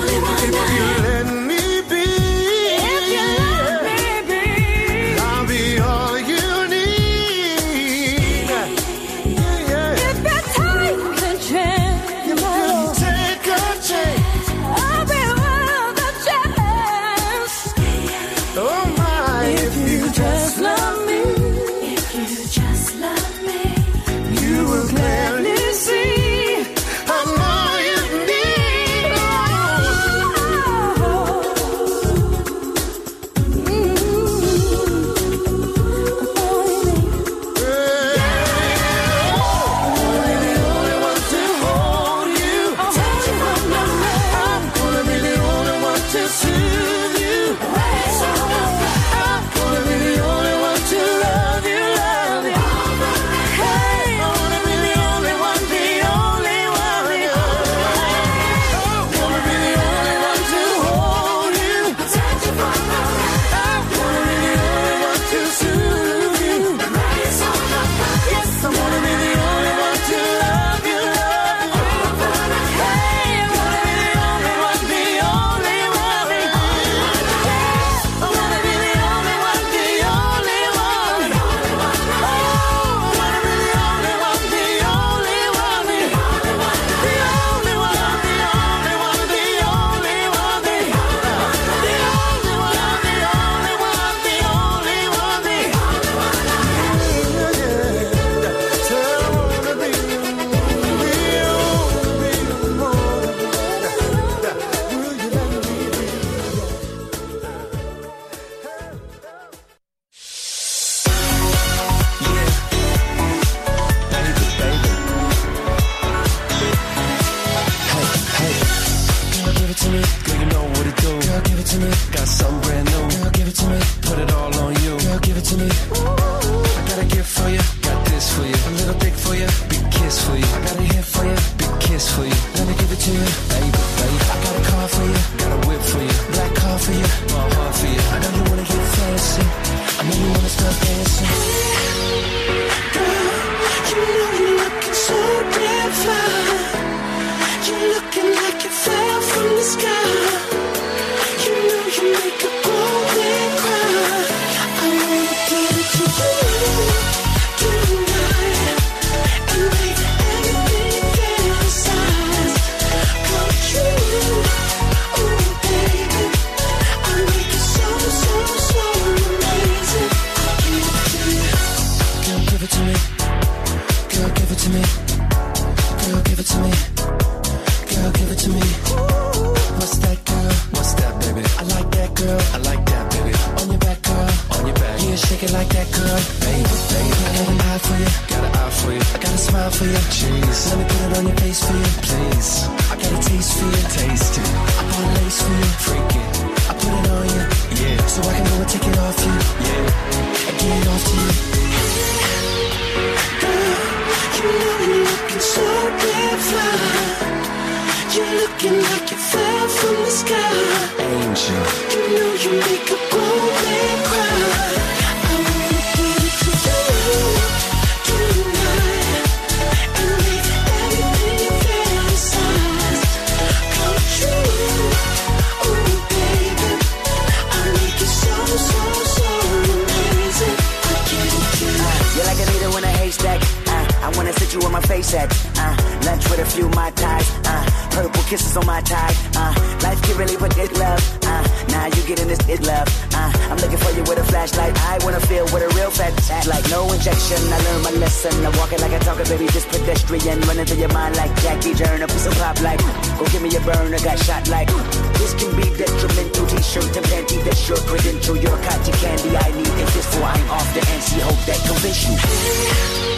little dick for you, big kiss for you. I got a hit for you, big kiss for you. Let me give it to you, baby, baby. I got a car for you, got a whip for you. Black car for you, my heart for you. I know you wanna get fancy, I know you wanna start dancing. Girl, you know you're looking so damn fly. You're looking like you fell from the sky. You know you make a grown man cry. I wanna give it to you tonight and make everything you fantasize come true. Oh baby, I make it so so so amazing. I'll give it to you. Girl, give it to me. Girl, give it to me. Girl, give it to me. Girl, give it to me. What's that, girl? What's that, baby? I like that, girl. I like that, baby. On your back, girl. On your back. Yeah, shake it like that, girl. Baby, baby. I got an eye for you. Got an eye for you. I got a smile for you. Jeez. Let me put it on your face for you. Please. I got a taste for you. Taste it. I bought a lace for you. Freak it. I put it on you. Yeah. So I can go and take it off you. Yeah. And get it off to you. Girl, you know you're looking so damn fly. You're looking like you fell from the sky. Angel. You know you make a grown man cry. I wanna give it to you tonight and make everything you fantasize come true. Oh baby, I make it so so so amazing. I give it to you. You're like a needle in a haystack. Uh, I wanna sit you on my face at. Uh, lunch with a few Mai Tais. Uh, purple kisses on my tie. Uh, life can really put this love. Uh, now you getting this it love. Uh, I'm looking for you with a flashlight. I wanna feel what a real fat act like. No injection. I learned my lesson. I'm walking like a talker, baby, just pedestrian. Running through your mind like Jackie Turner. Piece of pop like. Go give me a burner. Got shot like. This can be detrimental. T-shirt and panty. That's your credential. Your cotton candy. I need it just before I'm off the N C. Hope that convince you.